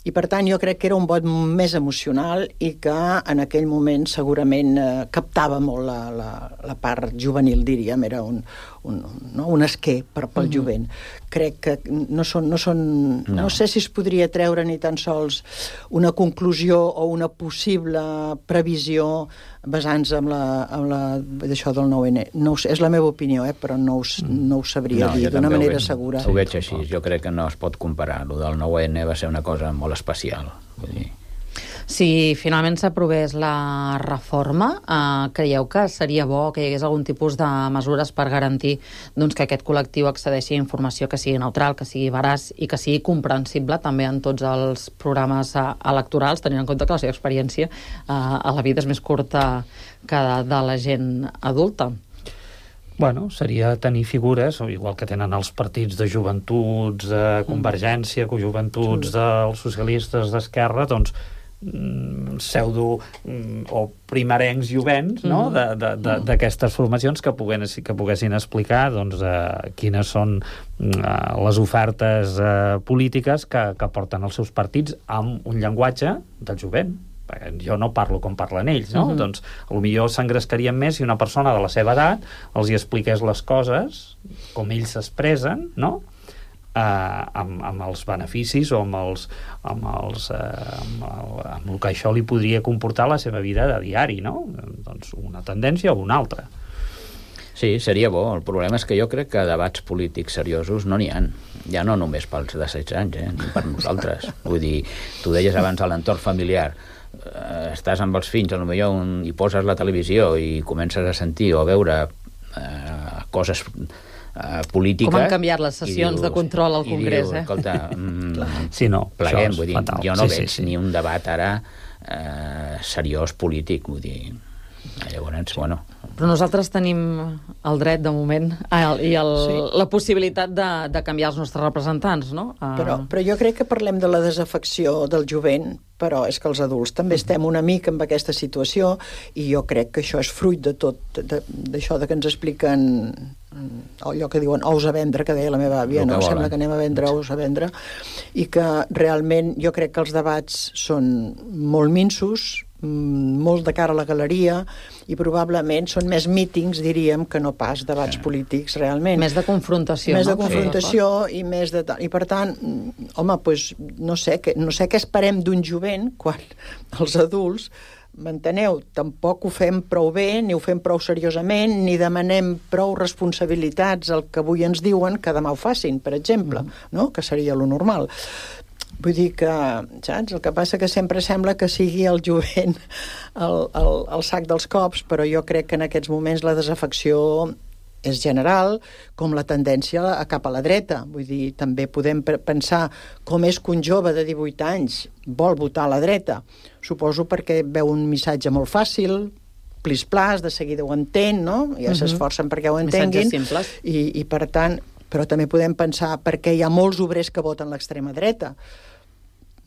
i per tant jo crec que era un vot més emocional i que en aquell moment segurament eh, captava molt la, la, la part juvenil, diríem, era un, un, no? un esquer per, pel mm-hmm. jovent. Crec que no són, no són no. no sé si es podria treure ni tan sols una conclusió o una possible previsió basant-se en la, en la d'això del nou ene. No sé, és la meva opinió, eh, però no, us, no ho sabria no, dir d'una manera veig, segura. Ho veig així, jo crec que no es pot comparar. El del nou ene va ser una cosa molt especial. Vull dir... Si finalment s'aprovés la reforma, eh, creieu que seria bo que hi hagués algun tipus de mesures per garantir doncs, que aquest col·lectiu accedeixi a informació que sigui neutral, que sigui veraç i que sigui comprensible també en tots els programes eh, electorals, tenint en compte que la seva experiència eh, a la vida és més curta que de, de la gent adulta? Bueno, seria tenir figures, igual que tenen els partits de joventuts, de Convergència, cojoventuts dels socialistes d'Esquerra, doncs pseudo o primerencs jovents, no?, d'aquestes formacions que poguessin, que poguessin explicar doncs, eh, quines són eh, les ofertes eh, polítiques que, que porten els seus partits amb un llenguatge del jovent. Perquè jo no parlo com parlen ells, no? Uh-huh. Doncs potser s'engrescarien més si una persona de la seva edat els hi expliqués les coses com ells s'expressen, no?, Uh, amb, amb els beneficis o amb els, amb, els, uh, amb, el, amb el que això li podria comportar la seva vida de diari, no? Doncs una tendència o una altra. Sí, seria bo. El problema és que jo crec que debats polítics seriosos no n'hi ha. Ja no només pels de setze anys, eh? Ni per nosaltres. Vull dir, tu deies abans a l'entorn familiar, uh, estàs amb els fills, potser un, i poses la televisió i comences a sentir o a veure uh, coses Uh, política. Com han canviat les sessions dius, de control al Congrés, dius, eh? Escolta, mm, sí, no, pleguem, vull dir, fatal. jo no sí, veig sí, sí. ni un debat ara eh, seriós polític, vull dir, llavors, bueno... Però nosaltres tenim el dret, de moment, i el, sí. la possibilitat de, de canviar els nostres representants, no? Uh... Però, però jo crec que parlem de la desafecció del jovent, però és que els adults també estem una mica amb aquesta situació i jo crec que això és fruit de tot, d'això de, de que ens expliquen allò que diuen ous a vendre, que deia la meva àvia, no? Sembla que anem a vendre ous a vendre, i que realment jo crec que els debats són molt minsos, molt de cara a la galeria, i probablement són més mítings, diríem, que no pas debats sí. polítics, realment. Més de confrontació, Més no? de confrontació sí. i més de... I per tant, home, doncs, no sé, que, no sé què esperem d'un jovent quan els adults, m'enteneu, tampoc ho fem prou bé, ni ho fem prou seriosament, ni demanem prou responsabilitats al que avui ens diuen que demà ho facin, per exemple, mm. no? Que seria lo normal. Vull dir que, saps? El que passa que sempre sembla que sigui el jovent el, el, el sac dels cops, però jo crec que en aquests moments la desafecció és general, com la tendència a cap a la dreta. Vull dir, també podem pensar com és que un jove de divuit anys vol votar a la dreta. Suposo perquè veu un missatge molt fàcil, plis-plas, de seguida ho entén, no? Ja s'esforcen perquè ho entenguin. Missatges simples. I, i per tant, però també podem pensar perquè hi ha molts obrers que voten l'extrema dreta.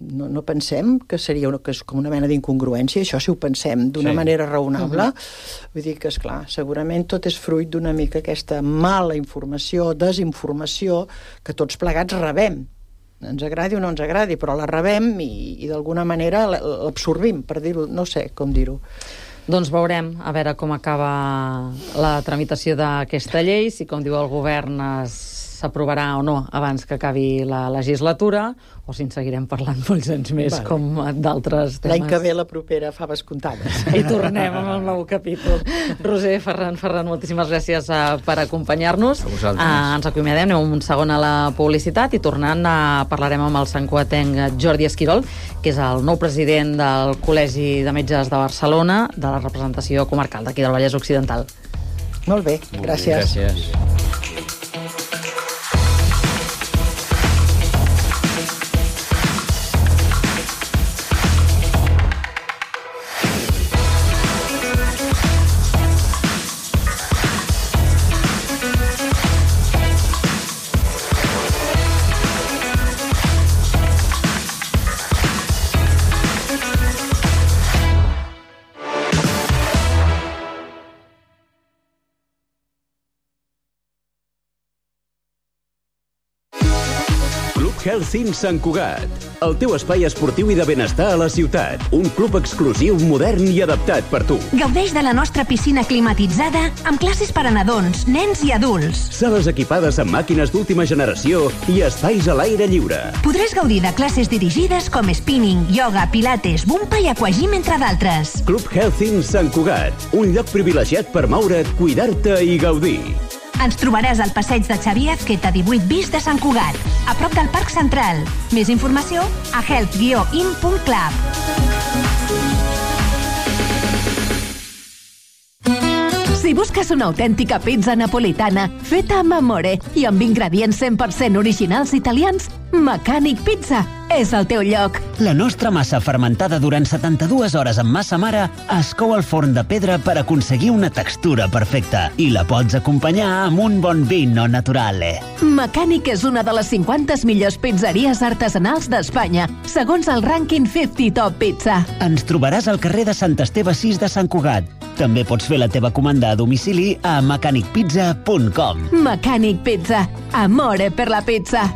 No, no pensem que seria una, que és com una mena d'incongruència, això si ho pensem d'una sí. manera raonable. Uh-huh. Vull dir que, esclar, segurament tot és fruit d'una mica aquesta mala informació, desinformació, que tots plegats rebem. Ens agradi o no ens agradi, però la rebem i, i d'alguna manera l'absorbim, per dir-ho, no sé com dir-ho. Doncs veurem a veure com acaba la tramitació d'aquesta llei, si, com diu el govern, s'aprovarà o no abans que acabi la legislatura, o si en seguirem parlant molts anys més, vale. Com d'altres temes. L'any que ve la propera faves comptades. I tornem amb el nou capítol. Roser, Ferran, Ferran, moltíssimes gràcies uh, per acompanyar-nos. A vosaltres. Uh, ens acomiadem, anem un segon a la publicitat i tornant uh, parlarem amb el santcugatenc Jordi Esquirol, que és el nou president del Col·legi de Metges de Barcelona, de la representació comarcal d'aquí del Vallès Occidental. Molt bé, gràcies. Gràcies. Health Sant Cugat, el teu espai esportiu i de benestar a la ciutat. Un club exclusiu, modern i adaptat per tu. Gaudeix de la nostra piscina climatitzada amb classes per a nadons, nens i adults. Sales equipades amb màquines d'última generació i espais a l'aire lliure. Podràs gaudir de classes dirigides com spinning, yoga, pilates, bumpa i aquagym, entre d'altres. Club Health Sant Cugat, un lloc privilegiat per moure't, cuidar-te i gaudir. Ens trobaràs al passeig de Xavier Azqueta divuit bis de Sant Cugat, a prop del Parc Central. Més informació a health guió in punt club. Si busques una autèntica pizza napolitana feta amb amore i amb ingredients cent per cent originals italians, Mecànic Pizza és el teu lloc. La nostra massa fermentada durant setanta-dues hores amb massa mare es cou al forn de pedra per aconseguir una textura perfecta i la pots acompanyar amb un bon vino naturale. Mecànic és una de les cinquanta millors pizzeries artesanals d'Espanya, segons el rànquing cinquanta Top Pizza. Ens trobaràs al carrer de Sant Esteve sis de Sant Cugat. També pots fer la teva comanda a domicili a mecànic pizza punt com. Mecànic Pizza. Amore per la pizza.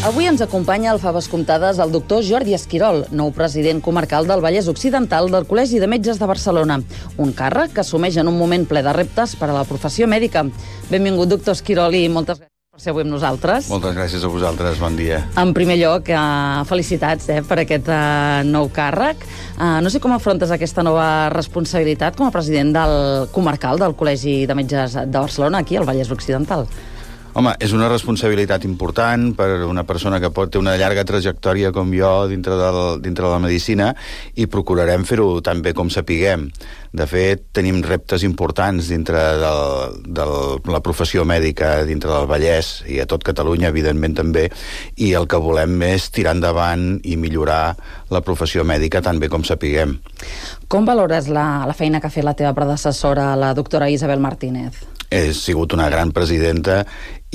Avui ens acompanya al Faves Comptades el doctor Jordi Esquirol, nou president comarcal del Vallès Occidental del Col·legi de Metges de Barcelona. Un càrrec que assumeix en un moment ple de reptes per a la professió mèdica. Benvingut, doctor Esquirol, i moltes gràcies per ser avui amb nosaltres. Moltes gràcies a vosaltres, bon dia. En primer lloc, eh, felicitats eh, per aquest eh, nou càrrec. Eh, no sé com afrontes aquesta nova responsabilitat com a president del comarcal del Col·legi de Metges de Barcelona, aquí al Vallès Occidental. Home, és una responsabilitat important per una persona que pot ter una llarga trajectòria com jo dintre, del, dintre de la medicina i procurarem fer-ho tan bé com sapiguem. De fet, tenim reptes importants dintre del, de la professió mèdica dintre del Vallès i a tot Catalunya, evidentment també, i el que volem és tirar endavant i millorar la professió mèdica tan bé com sapiguem. Com valores la, la feina que ha fet la teva predecessora, la doctora Isabel Martínez? He sigut una gran presidenta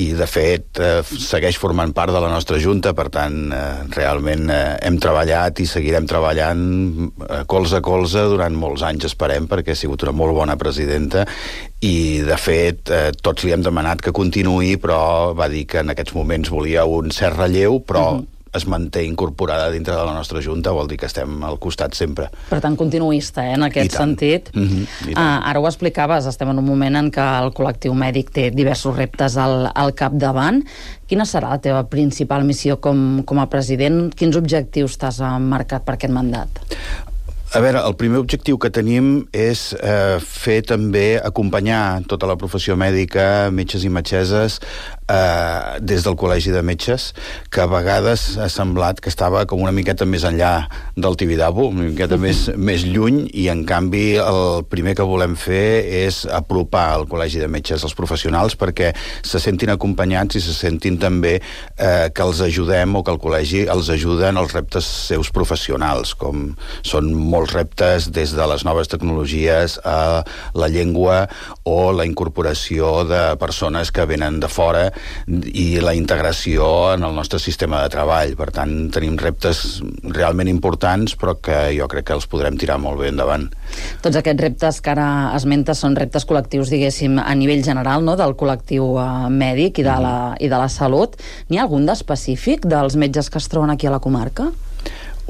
i, de fet, eh, segueix formant part de la nostra Junta, per tant, eh, realment eh, hem treballat i seguirem treballant eh, colze a colze durant molts anys, esperem, perquè ha sigut una molt bona presidenta i, de fet, eh, tots li hem demanat que continuï, però va dir que en aquests moments volia un cert relleu, però uh-huh. es manté incorporada dintre de la nostra Junta, vol dir que estem al costat sempre. Per tant, continuista, eh, en aquest sentit. Mm-hmm, uh, ara ho explicaves, estem en un moment en què el col·lectiu mèdic té diversos reptes al, al capdavant. Quina serà la teva principal missió com, com a president? Quins objectius t'has marcat per aquest mandat? A veure, el primer objectiu que tenim és eh, fer també, acompanyar tota la professió mèdica, metges i metgesses, eh, des del Col·legi de Metges, que a vegades ha semblat que estava com una miqueta més enllà del Tibidabo, una miqueta més, més lluny, i en canvi el primer que volem fer és apropar el Col·legi de Metges als professionals perquè se sentin acompanyats i se sentin també eh, que els ajudem o que el col·legi els ajuda en els reptes seus professionals, com són molts reptes des de les noves tecnologies a la llengua o la incorporació de persones que venen de fora i la integració en el nostre sistema de treball. Per tant, tenim reptes realment importants, però que jo crec que els podrem tirar molt bé endavant. Tots aquests reptes que ara esmentes són reptes col·lectius, diguéssim, a nivell general, no?, del col·lectiu eh, mèdic i de, la, i de la salut. N'hi ha algun d'específic dels metges que es troben aquí a la comarca?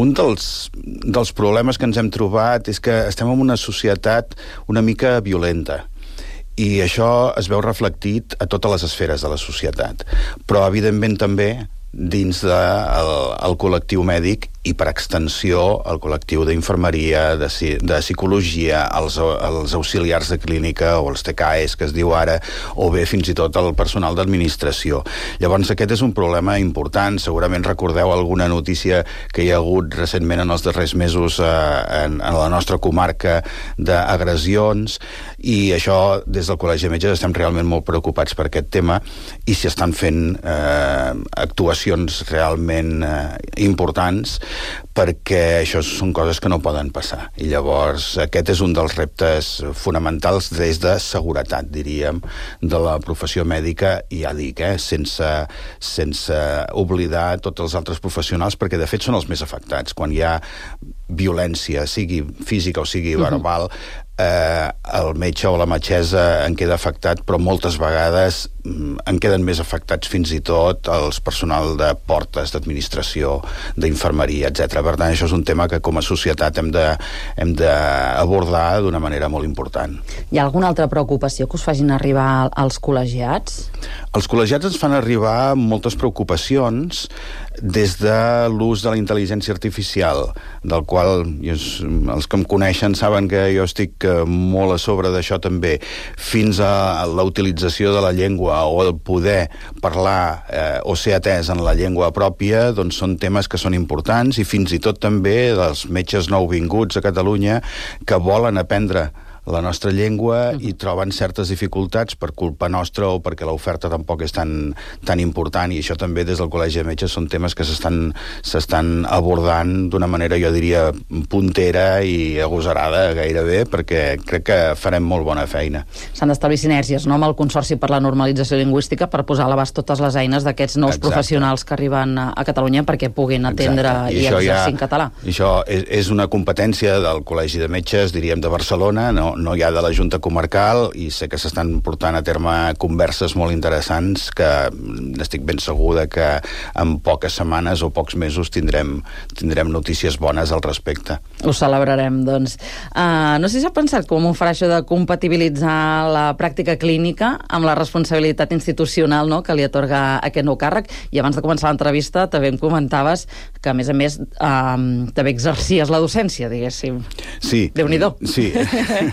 Un dels, dels problemes que ens hem trobat és que estem en una societat una mica violenta i això es veu reflectit a totes les esferes de la societat, però evidentment també dins del de, el col·lectiu mèdic i per extensió el col·lectiu d'infermeria, de, de psicologia, els, els auxiliars de clínica o els T K Es que es diu ara, o bé fins i tot el personal d'administració. Llavors aquest és un problema important. Segurament recordeu alguna notícia que hi ha hagut recentment en els darrers mesos eh, en, en la nostra comarca d'agressions, i això des del Col·legi de Metges estem realment molt preocupats per aquest tema i s'hi estan fent eh, actuacions realment eh, importants, perquè això són coses que no poden passar. I llavors aquest és un dels reptes fonamentals des de seguretat, diríem, de la professió mèdica, i ja dic, eh, sense, sense oblidar tots els altres professionals, perquè de fet són els més afectats. Quan hi ha violència, sigui física o sigui verbal, eh, el metge o la metgessa en queda afectat, però moltes vegades en queden més afectats fins i tot els personal de portes, d'administració, d'infermeria, etcètera. Per tant, això és un tema que com a societat hem de, hem d'abordar d'una manera molt important. Hi ha alguna altra preocupació que us facin arribar als col·legiats? Els col·legiats ens fan arribar moltes preocupacions des de l'ús de la intel·ligència artificial, del qual els que em coneixen saben que jo estic molt a sobre d'això també, fins a la utilització de la llengua o el poder parlar eh, o ser atès en la llengua pròpia, doncs són temes que són importants, i fins i tot també dels metges nouvinguts a Catalunya que volen aprendre la nostra llengua i troben certes dificultats per culpa nostra o perquè l'oferta tampoc és tan, tan important, i això també des del Col·legi de Metges són temes que s'estan s'estan abordant d'una manera, jo diria, puntera i agosarada gairebé, perquè crec que farem molt bona feina. S'han d'establir sinergies, no?, amb el Consorci per la Normalització Lingüística per posar a l'abast totes les eines d'aquests nous Exacte. Professionals que arriben a Catalunya perquè puguin atendre Exacte. I, i exercir ja, en català. I això és, és una competència del Col·legi de Metges, diríem, de Barcelona, no, no hi ha de la Junta Comarcal, i sé que s'estan portant a terme converses molt interessants que estic ben segur que en poques setmanes o pocs mesos tindrem, tindrem notícies bones al respecte. Ho celebrarem, doncs. Uh, no sé si ha pensat com ho farà això de compatibilitzar la pràctica clínica amb la responsabilitat institucional, no?, que li atorga aquest nou càrrec. I abans de començar l'entrevista també em comentaves que, a més a més, uh, també exercies la docència, diguéssim. Sí. Déu-n'hi-do. Sí.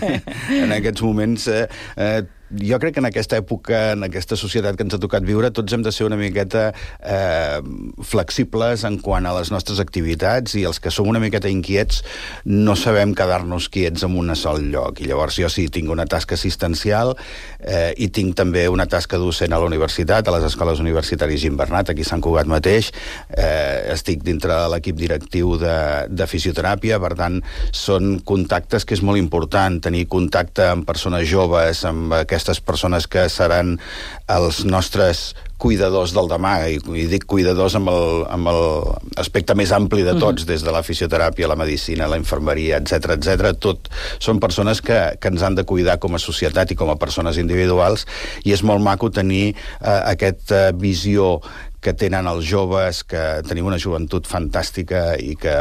En aquests moments eh, eh, jo crec que en aquesta època, en aquesta societat que ens ha tocat viure, tots hem de ser una miqueta eh, flexibles en quant a les nostres activitats, i els que som una miqueta inquiets no sabem quedar-nos quiets en un sol lloc. I llavors jo sí, tinc una tasca assistencial eh, i tinc també una tasca docent a la universitat, a les escoles universitàries Gimbernat, aquí a Sant Cugat mateix. Eh, estic dintre de l'equip directiu de, de fisioteràpia, per tant, són contactes que és molt important, tenir contacte amb persones joves, amb aquestes aquestes persones que seran els nostres cuidadors del demà, i, i dic cuidadors amb el, amb el aspecte més ampli de tots, uh-huh. des de la fisioteràpia, la medicina, la infermeria, etcètera, etcètera. Tot són persones que, que ens han de cuidar com a societat i com a persones individuals, i és molt maco tenir eh, aquesta visió que tenen els joves, que tenim una joventut fantàstica i que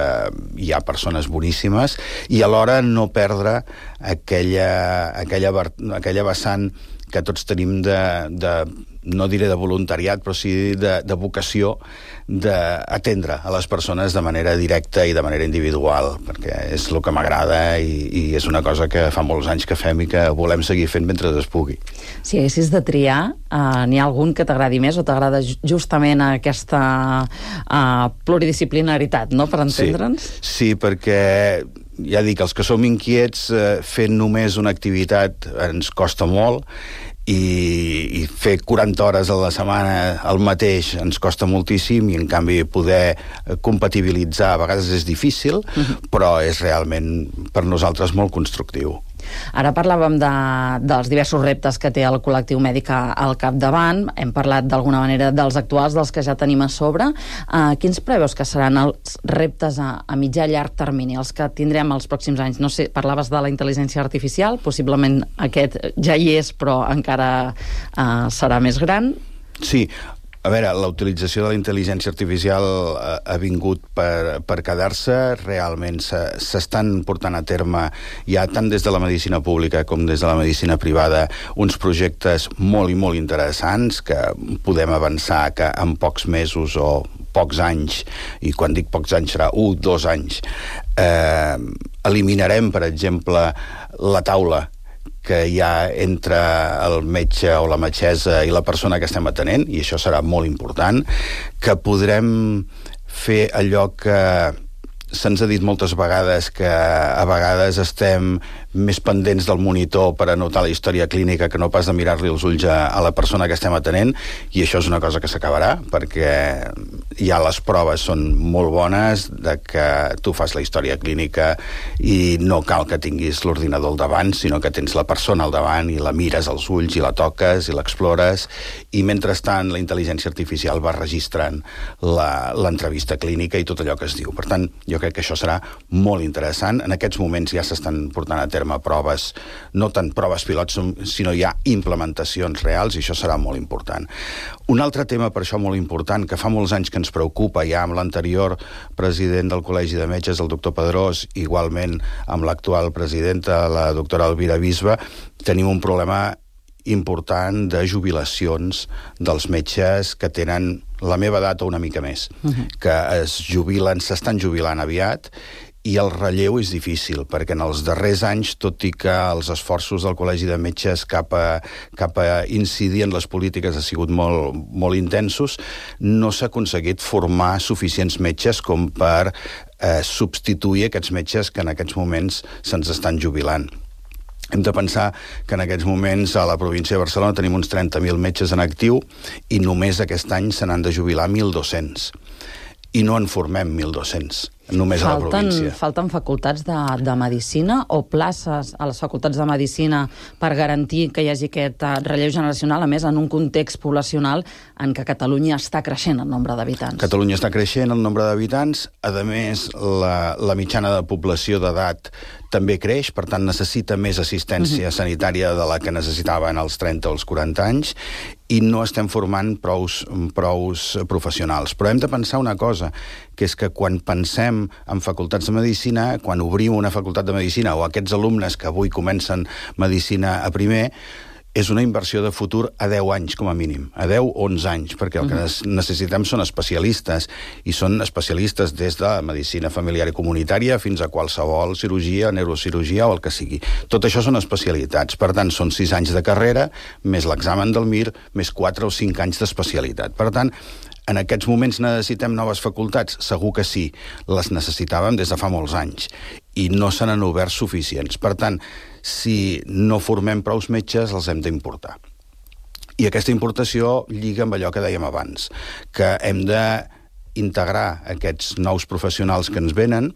hi ha persones boníssimes, i alhora no perdre aquella, aquella, aquella vessant que tots tenim de, de no diré de voluntariat, però sí de, de vocació d'atendre a les persones de manera directa i de manera individual, perquè és el que m'agrada i, i és una cosa que fa molts anys que fem i que volem seguir fent mentre es pugui. Si haguessis de triar, uh, n'hi ha algun que t'agradi més o t'agrada justament aquesta uh, pluridisciplinaritat, no?, per entendre'ns? Sí, sí, perquè ja dic, els que som inquiets, eh, fent només una activitat ens costa molt, i, i fer quaranta hores a la setmana el mateix ens costa moltíssim, i en canvi poder compatibilitzar a vegades és difícil, uh-huh. però és realment per nosaltres molt constructiu. Ara parlàvem de, dels diversos reptes que té el col·lectiu mèdic al capdavant, hem parlat d'alguna manera dels actuals, dels que ja tenim a sobre. Uh, quins preveus que seran els reptes a, a mitjà i llarg termini, els que tindrem els pròxims anys? No sé, parlaves de la intel·ligència artificial, possiblement aquest ja hi és, però encara uh, serà més gran. Sí, a veure, la utilització de la intel·ligència artificial ha, ha vingut per, per quedar-se. Realment s'estan portant a terme, ja tant des de la medicina pública com des de la medicina privada, uns projectes molt i molt interessants que podem avançar que en pocs mesos o pocs anys, i quan dic pocs anys serà un, dos anys, eh, eliminarem, per exemple, la taula que hi ha entre el metge o la metgessa i la persona que estem atenent, i això serà molt important, que podrem fer allò que se'ns ha dit moltes vegades, que a vegades estem més pendents del monitor per anotar la història clínica que no pas de mirar-li els ulls a, a la persona que estem atenent, i això és una cosa que s'acabarà, perquè ja les proves són molt bones de que tu fas la història clínica i no cal que tinguis l'ordinador al davant, sinó que tens la persona al davant i la mires als ulls i la toques i l'explores, i mentrestant la intel·ligència artificial va registrant l'entrevista clínica i tot allò que es diu. Per tant, jo crec que això serà molt interessant. En aquests moments ja s'estan portant a terme proves, no tant proves pilots, sinó ja implementacions reals, i això serà molt important. Un altre tema per això molt important, que fa molts anys que ens preocupa, ja amb l'anterior president del Col·legi de Metges, el doctor Pedrós, igualment amb l'actual presidenta, la doctora Elvira Bisbe, tenim un problema important de jubilacions dels metges que tenen la meva edat o una mica més, uh-huh. que es jubilen, s'estan jubilant aviat, i el relleu és difícil, perquè en els darrers anys, tot i que els esforços del Col·legi de Metges cap a, cap a incidir en les polítiques ha sigut molt, molt intensos, no s'ha aconseguit formar suficients metges com per eh, substituir aquests metges que en aquests moments se'ns estan jubilant. Hem de pensar que en aquests moments a la província de Barcelona tenim uns trenta mil metges en actiu i només aquest any se n'han de jubilar mil dos-cents. I no en formem mil dos-cents, només falten, a la província. Falten facultats de, de medicina o places a les facultats de medicina per garantir que hi hagi aquest relleu generacional, a més, en un context poblacional en què Catalunya està creixent el nombre d'habitants. Catalunya està creixent el nombre d'habitants, a més, la, la mitjana de població d'edat també creix, per tant necessita més assistència uh-huh. sanitària de la que necessitaven als trenta o als quaranta anys, i no estem formant prous, prous professionals. Però hem de pensar una cosa, que és que quan pensem en facultats de medicina, quan obrim una facultat de medicina, o aquests alumnes que avui comencen medicina a primer, és una inversió de futur a deu anys, com a mínim, a deu o onze anys, perquè el que necessitem són especialistes, i són especialistes des de medicina familiar i comunitària fins a qualsevol cirurgia, neurocirurgia o el que sigui. Tot això són especialitats, per tant, són sis anys de carrera, més l'examen del M I R, més quatre o cinc anys d'especialitat. Per tant, en aquests moments necessitem noves facultats? Segur que sí, les necessitàvem des de fa molts anys, i no se n'han obert suficients. Per tant, si no formem prous metges, els hem d'importar. I aquesta importació lliga amb allò que dèiem abans, que hem d'integrar aquests nous professionals que ens venen,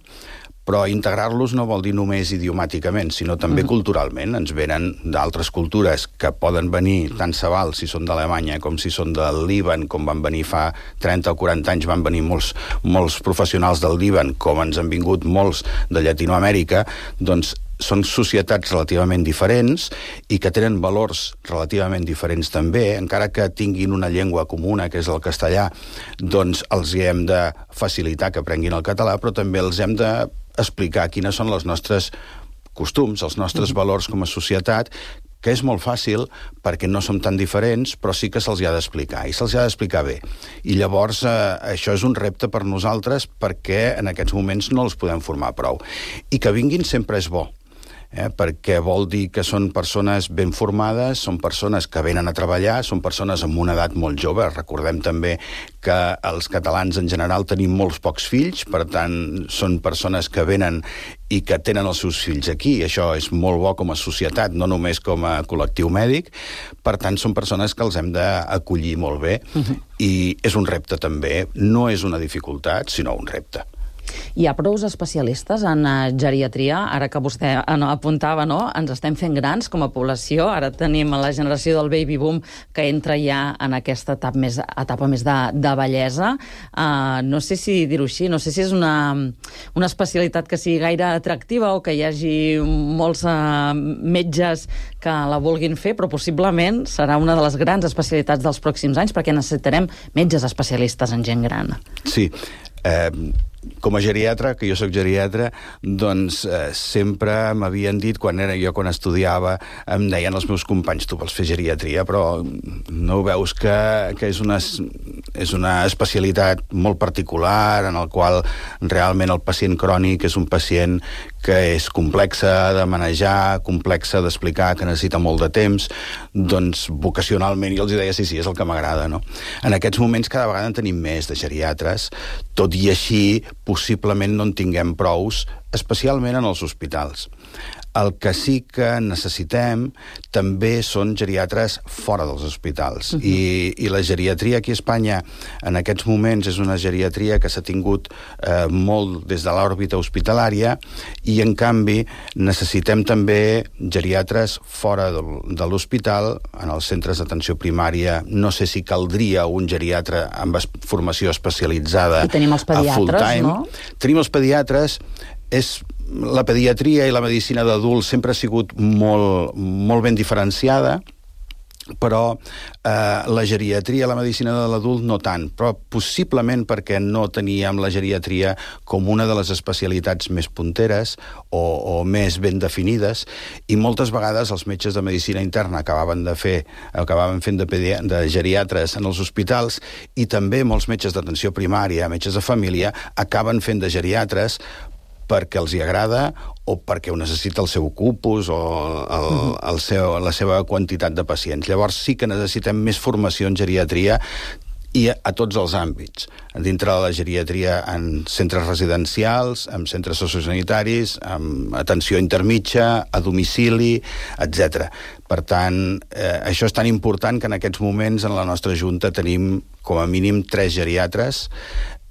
però integrar-los no vol dir només idiomàticament, sinó també uh-huh. culturalment. Ens venen d'altres cultures que poden venir, tant se val si són d'Alemanya com si són del Líban, com van venir fa trenta o quaranta anys, van venir molts, molts professionals del Líban, com ens han vingut molts de Llatinoamèrica, doncs són societats relativament diferents i que tenen valors relativament diferents també, encara que tinguin una llengua comuna, que és el castellà, doncs els hi hem de facilitar que aprenguin el català, però també els hem de explicar quines són els nostres costums, els nostres valors com a societat, que és molt fàcil perquè no som tan diferents, però sí que se'ls ha d'explicar, i se'ls ha d'explicar bé. I llavors eh, això és un repte per nosaltres perquè en aquests moments no els podem formar prou. I que vinguin sempre és bo. Eh, perquè vol dir que són persones ben formades, són persones que venen a treballar, són persones amb una edat molt jove. Recordem també que els catalans en general tenim molts pocs fills, per tant, són persones que venen i que tenen els seus fills aquí. Això és molt bo com a societat, no només com a col·lectiu mèdic. Per tant, són persones que els hem d'acollir molt bé. Uh-huh. I és un repte també. No és una dificultat, sinó un repte. Hi ha prous especialistes en geriatria? Ara que vostè apuntava, no? Ens estem fent grans com a població. Ara tenim la generació del baby boom que entra ja en aquesta etapa més, etapa més de, de bellesa. Uh, no sé si dir-ho així, no sé si és una, una especialitat que sigui gaire atractiva o que hi hagi molts uh, metges que la vulguin fer, però possiblement serà una de les grans especialitats dels pròxims anys perquè necessitarem metges especialistes en gent gran. Sí. Eh... Com a geriatra, que jo sóc geriatra, doncs eh, sempre m'havien dit, quan era jo quan estudiava, em deien els meus companys, tu vols fer geriatria, però no veus que, que és, una, és una especialitat molt particular en el qual realment el pacient crònic és un pacient que és complexa de manejar, complexa d'explicar, que necessita molt de temps. Doncs vocacionalment jo els deia sí, sí, és el que m'agrada, no? En aquests moments cada vegada en tenim més de geriatres, tot i així possiblement no en tinguem prous, especialment en els hospitals. El que sí que necessitem també són geriatres fora dels hospitals. Uh-huh. I, I la geriatria aquí a Espanya en aquests moments és una geriatria que s'ha tingut eh, molt des de l'òrbita hospitalària i, en canvi, necessitem també geriatres fora de, de l'hospital, en els centres d'atenció primària. No sé si caldria un geriatre amb formació especialitzada I tenim els pediatres, a full-time. No? Tenim els pediatres. És la pediatria i la medicina d'adults sempre ha sigut molt, molt ben diferenciada, però eh, la geriatria, la medicina de l'adult no tant, però possiblement perquè no teníem la geriatria com una de les especialitats més punteres o, o més ben definides, i moltes vegades els metges de medicina interna acabaven de fer, acabaven fent de, pedi- de geriatres en els hospitals, i també molts metges d'atenció primària, metges de família, acaben fent de geriatres perquè els hi agrada o perquè ho necessita el seu cupus o el, el seu, la seva quantitat de pacients. Llavors sí que necessitem més formació en geriatria i a, a tots els àmbits. Dintre de la geriatria en centres residencials, en centres sociosanitaris, amb atenció intermitja, a domicili, etcètera. Per tant, eh, això és tan important que en aquests moments en la nostra Junta tenim com a mínim tres geriatres.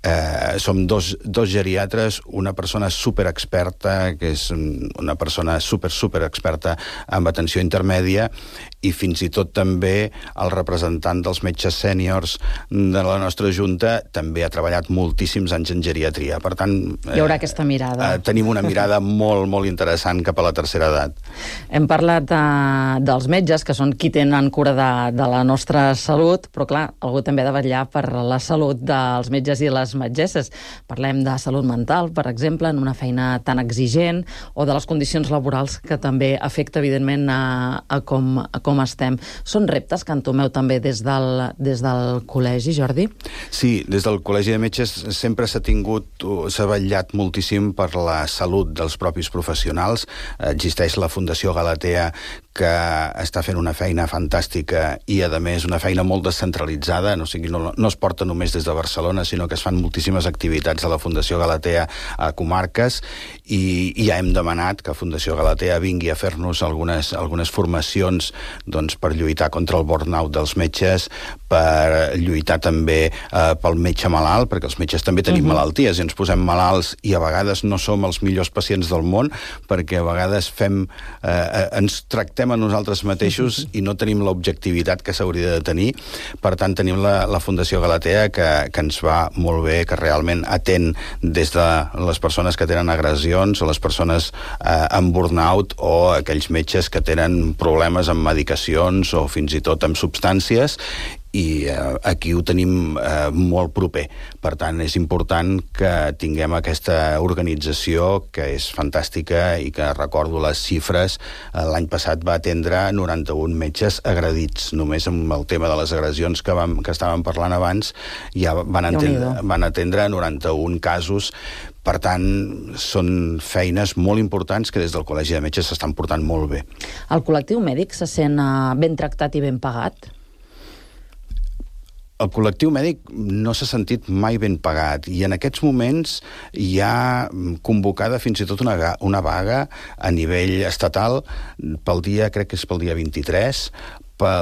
Eh, som dos, dos geriatres, una persona superexperta, que és una persona super, super experta en atenció intermèdia, i fins i tot també el representant dels metges sèniors de la nostra Junta també ha treballat moltíssims anys en geriatria. Per tant, eh, hi haurà aquesta mirada. Eh, tenim una mirada molt, molt interessant cap a la tercera edat. Hem parlat de, dels metges, que són qui tenen cura de, de la nostra salut, però clar, algú també ha de vetllar per la salut dels metges i les metgesses. Parlem de salut mental, per exemple, en una feina tan exigent, o de les condicions laborals que també afecta, evidentment, a, a, com, a com estem. Són reptes que entomeu també des del, des del col·legi, Jordi? Sí, des del Col·legi de Metges sempre s'ha tingut, s'ha vetllat moltíssim per la salut dels propis professionals. Existeix la Fundació Galatea, que està fent una feina fantàstica i, a més, una feina molt descentralitzada, no, o sigui, no, no es porta només des de Barcelona, sinó que es fan moltíssimes activitats a la Fundació Galatea a comarques, i, i ja hem demanat que Fundació Galatea vingui a fer-nos algunes, algunes formacions doncs, per lluitar contra el burnout dels metges, per lluitar també eh, pel metge malalt, perquè els metges també tenim uh-huh. malalties i ens posem malalts i a vegades no som els millors pacients del món, perquè a vegades fem, eh, ens tractem a nosaltres mateixos i no tenim l'objectivitat que s'hauria de tenir. Per tant, tenim la, la Fundació Galatea, que, que ens va molt bé, que realment atén des de les persones que tenen agressions o les persones eh, amb burnout o aquells metges que tenen problemes amb medicacions o fins i tot amb substàncies, i eh, aquí ho tenim eh, molt proper. Per tant, és important que tinguem aquesta organització que és fantàstica i que, recordo les xifres, eh, l'any passat va atendre noranta-un metges agredits. Només amb el tema de les agressions que, vam, que estàvem parlant abans ja van, entendre, van atendre noranta-un casos. Per tant, són feines molt importants que des del Col·legi de Metges s'estan portant molt bé. El col·lectiu mèdic se sent uh, ben tractat i ben pagat? El col·lectiu mèdic no s'ha sentit mai ben pagat i en aquests moments hi ha convocada fins i tot una, una vaga a nivell estatal pel dia, crec que és pel dia vint-i-tres, per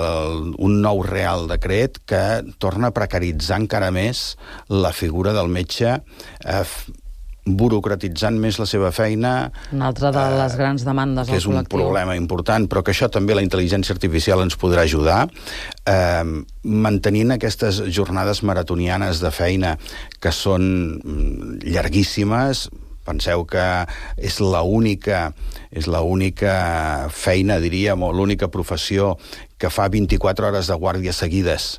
un nou Real Decret que torna a precaritzar encara més la figura del metge, eh, burocratitzant més la seva feina. Una altra de les eh, grans demandes del col·lectiu. Que és un problema important, però que això també la intel·ligència artificial ens podrà ajudar, eh, mantenint aquestes jornades maratonianes de feina que són llarguíssimes. Penseu que és l'única és l'única feina, diríem, o l'única professió que fa vint-i-quatre hores de guàrdia seguides,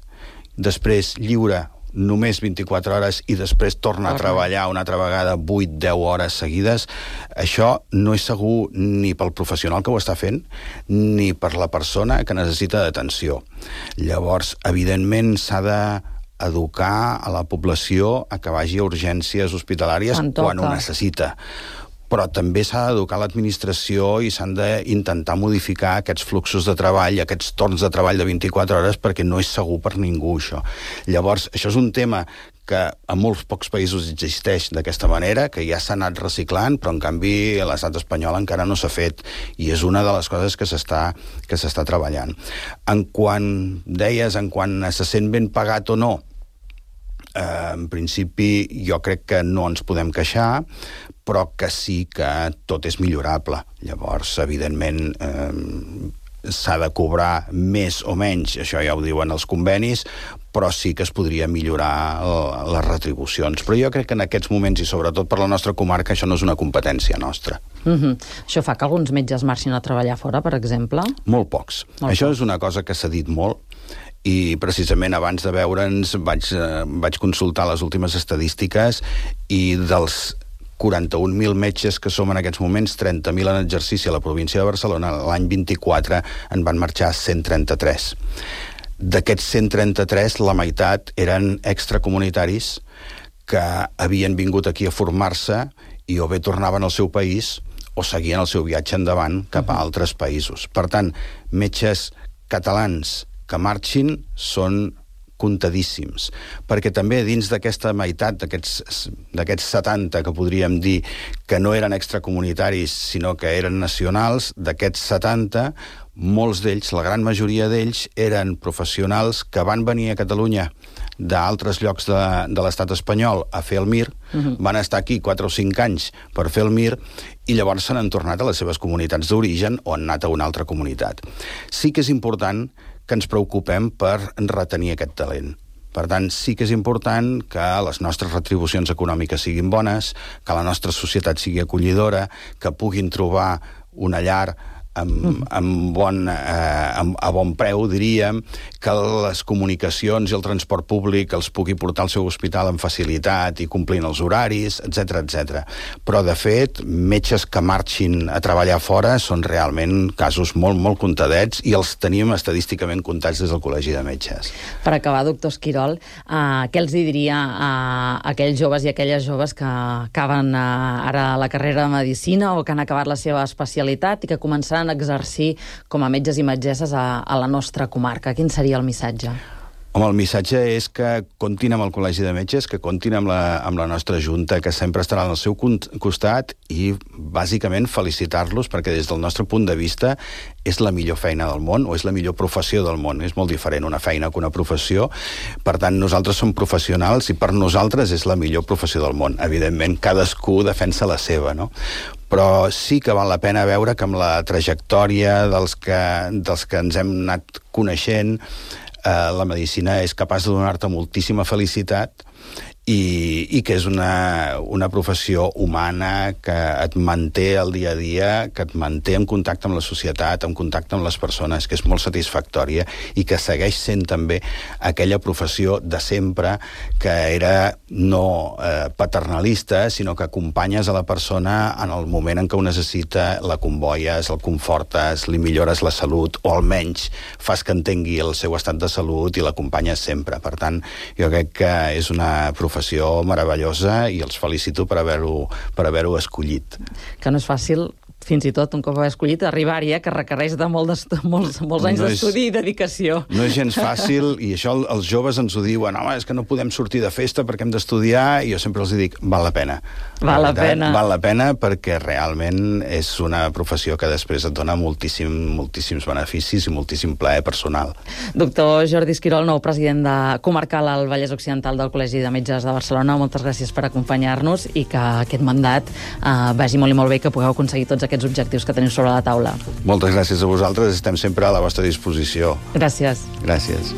després lliure només vint-i-quatre hores i després torna a treballar una altra vegada vuit a deu hores seguides. Això no és segur ni pel professional que ho està fent ni per la persona que necessita d'atenció. Llavors, evidentment, s'ha de educar a la població a que vagi a urgències hospitalàries quan ho necessita. Però també s'ha d'educar l'administració i s'han d'intentar modificar aquests fluxos de treball, aquests torns de treball de vint-i-quatre hores, perquè no és segur per ningú, això. Llavors, això és un tema que a molts pocs països existeix d'aquesta manera, que ja s'ha anat reciclant, però en canvi a l'estat espanyol encara no s'ha fet, i és una de les coses que s'està que s'està treballant. En quant, deies, en quant se sent ben pagat o no, eh, en principi jo crec que no ens podem queixar, però que sí que tot és millorable. Llavors, evidentment, eh, s'ha de cobrar més o menys, això ja ho diuen els convenis, però sí que es podria millorar les retribucions. Però jo crec que en aquests moments, i sobretot per la nostra comarca, això no és una competència nostra. Mm-hmm. Això fa que alguns metges marxin a treballar fora, per exemple? Molt pocs. Molt això pocs. És una cosa que s'ha dit molt, i precisament abans de veure'ns vaig, eh, vaig consultar les últimes estadístiques i dels quaranta-un mil metges que som en aquests moments, trenta mil en exercici a la província de Barcelona, l'any vint-i-quatre en van marxar cent trenta-tres. D'aquests cent trenta-tres, la meitat eren extracomunitaris que havien vingut aquí a formar-se i o bé tornaven al seu país o seguien el seu viatge endavant cap a altres països. Per tant, metges catalans que marxin són comptadíssims, perquè també dins d'aquesta meitat, d'aquests setanta que podríem dir que no eren extracomunitaris sinó que eren nacionals, d'aquests setanta, molts d'ells, la gran majoria d'ells, eren professionals que van venir a Catalunya d'altres llocs de, de l'estat espanyol a fer el M I R, uh-huh. van estar aquí quatre o cinc anys per fer el M I R i llavors se n'han tornat a les seves comunitats d'origen o han anat a una altra comunitat. Sí que és important que ens preocupem per retenir aquest talent. Per tant, sí que és important que les nostres retribucions econòmiques siguin bones, que la nostra societat sigui acollidora, que puguin trobar una llar amb, amb bon, eh, amb, a bon preu, diríem, que les comunicacions i el transport públic els pugui portar al seu hospital amb facilitat i complint els horaris, etcètera, etcètera. Però, de fet, metges que marxin a treballar fora són realment casos molt, molt comptadets i els tenim estadísticament comptats des del Col·legi de Metges. Per acabar, doctor Esquirol, eh, què els diria a aquells joves i aquelles joves que acaben eh, ara la carrera de Medicina o que han acabat la seva especialitat i que començaran a exercir com a metges i metgesses a, a la nostra comarca? Quin seria el missatge? Home, el missatge és que comptin amb el Col·legi de Metges, que comptin amb la, amb la nostra Junta, que sempre estarà al seu costat i, bàsicament, felicitar-los perquè des del nostre punt de vista és la millor feina del món o és la millor professió del món. És molt diferent una feina que una professió. Per tant, nosaltres som professionals i per nosaltres és la millor professió del món. Evidentment, cadascú defensa la seva, no? Però sí que val la pena veure que amb la trajectòria dels que, dels que ens hem anat coneixent, eh, la medicina és capaç de donar-te moltíssima felicitat i, i que és una, una professió humana que et manté al dia a dia, que et manté en contacte amb la societat, en contacte amb les persones, que és molt satisfactòria i que segueix sent també aquella professió de sempre que era no eh, paternalista, sinó que acompanyes a la persona en el moment en què ho necessita, la convoies, el confortes, li millores la salut, o almenys fas que entengui el seu estat de salut i l'acompanyes sempre. Per tant, jo crec que és una professió meravellosa i els felicito per haver-ho per haver-ho escollit. Que no és fàcil, fins i tot un cop haver escollit, arribar-hi, eh, que requereix de molt molts, molts anys no d'estudi i dedicació. No és gens fàcil, i això els joves ens ho diuen, home, és que no podem sortir de festa perquè hem d'estudiar, i jo sempre els dic, val la pena. Val la, la pena. Val la pena perquè realment és una professió que després et dona moltíssim, moltíssims beneficis i moltíssim plaer personal. Doctor Jordi Esquirol, nou president de comarcal al Vallès Occidental del Col·legi de Metges de Barcelona, moltes gràcies per acompanyar-nos i que aquest mandat eh, vagi molt i molt bé, que pugueu aconseguir tots aquests objectius que teniu sobre la taula. Moltes gràcies a vosaltres, estem sempre a la vostra disposició. Gràcies. Gràcies.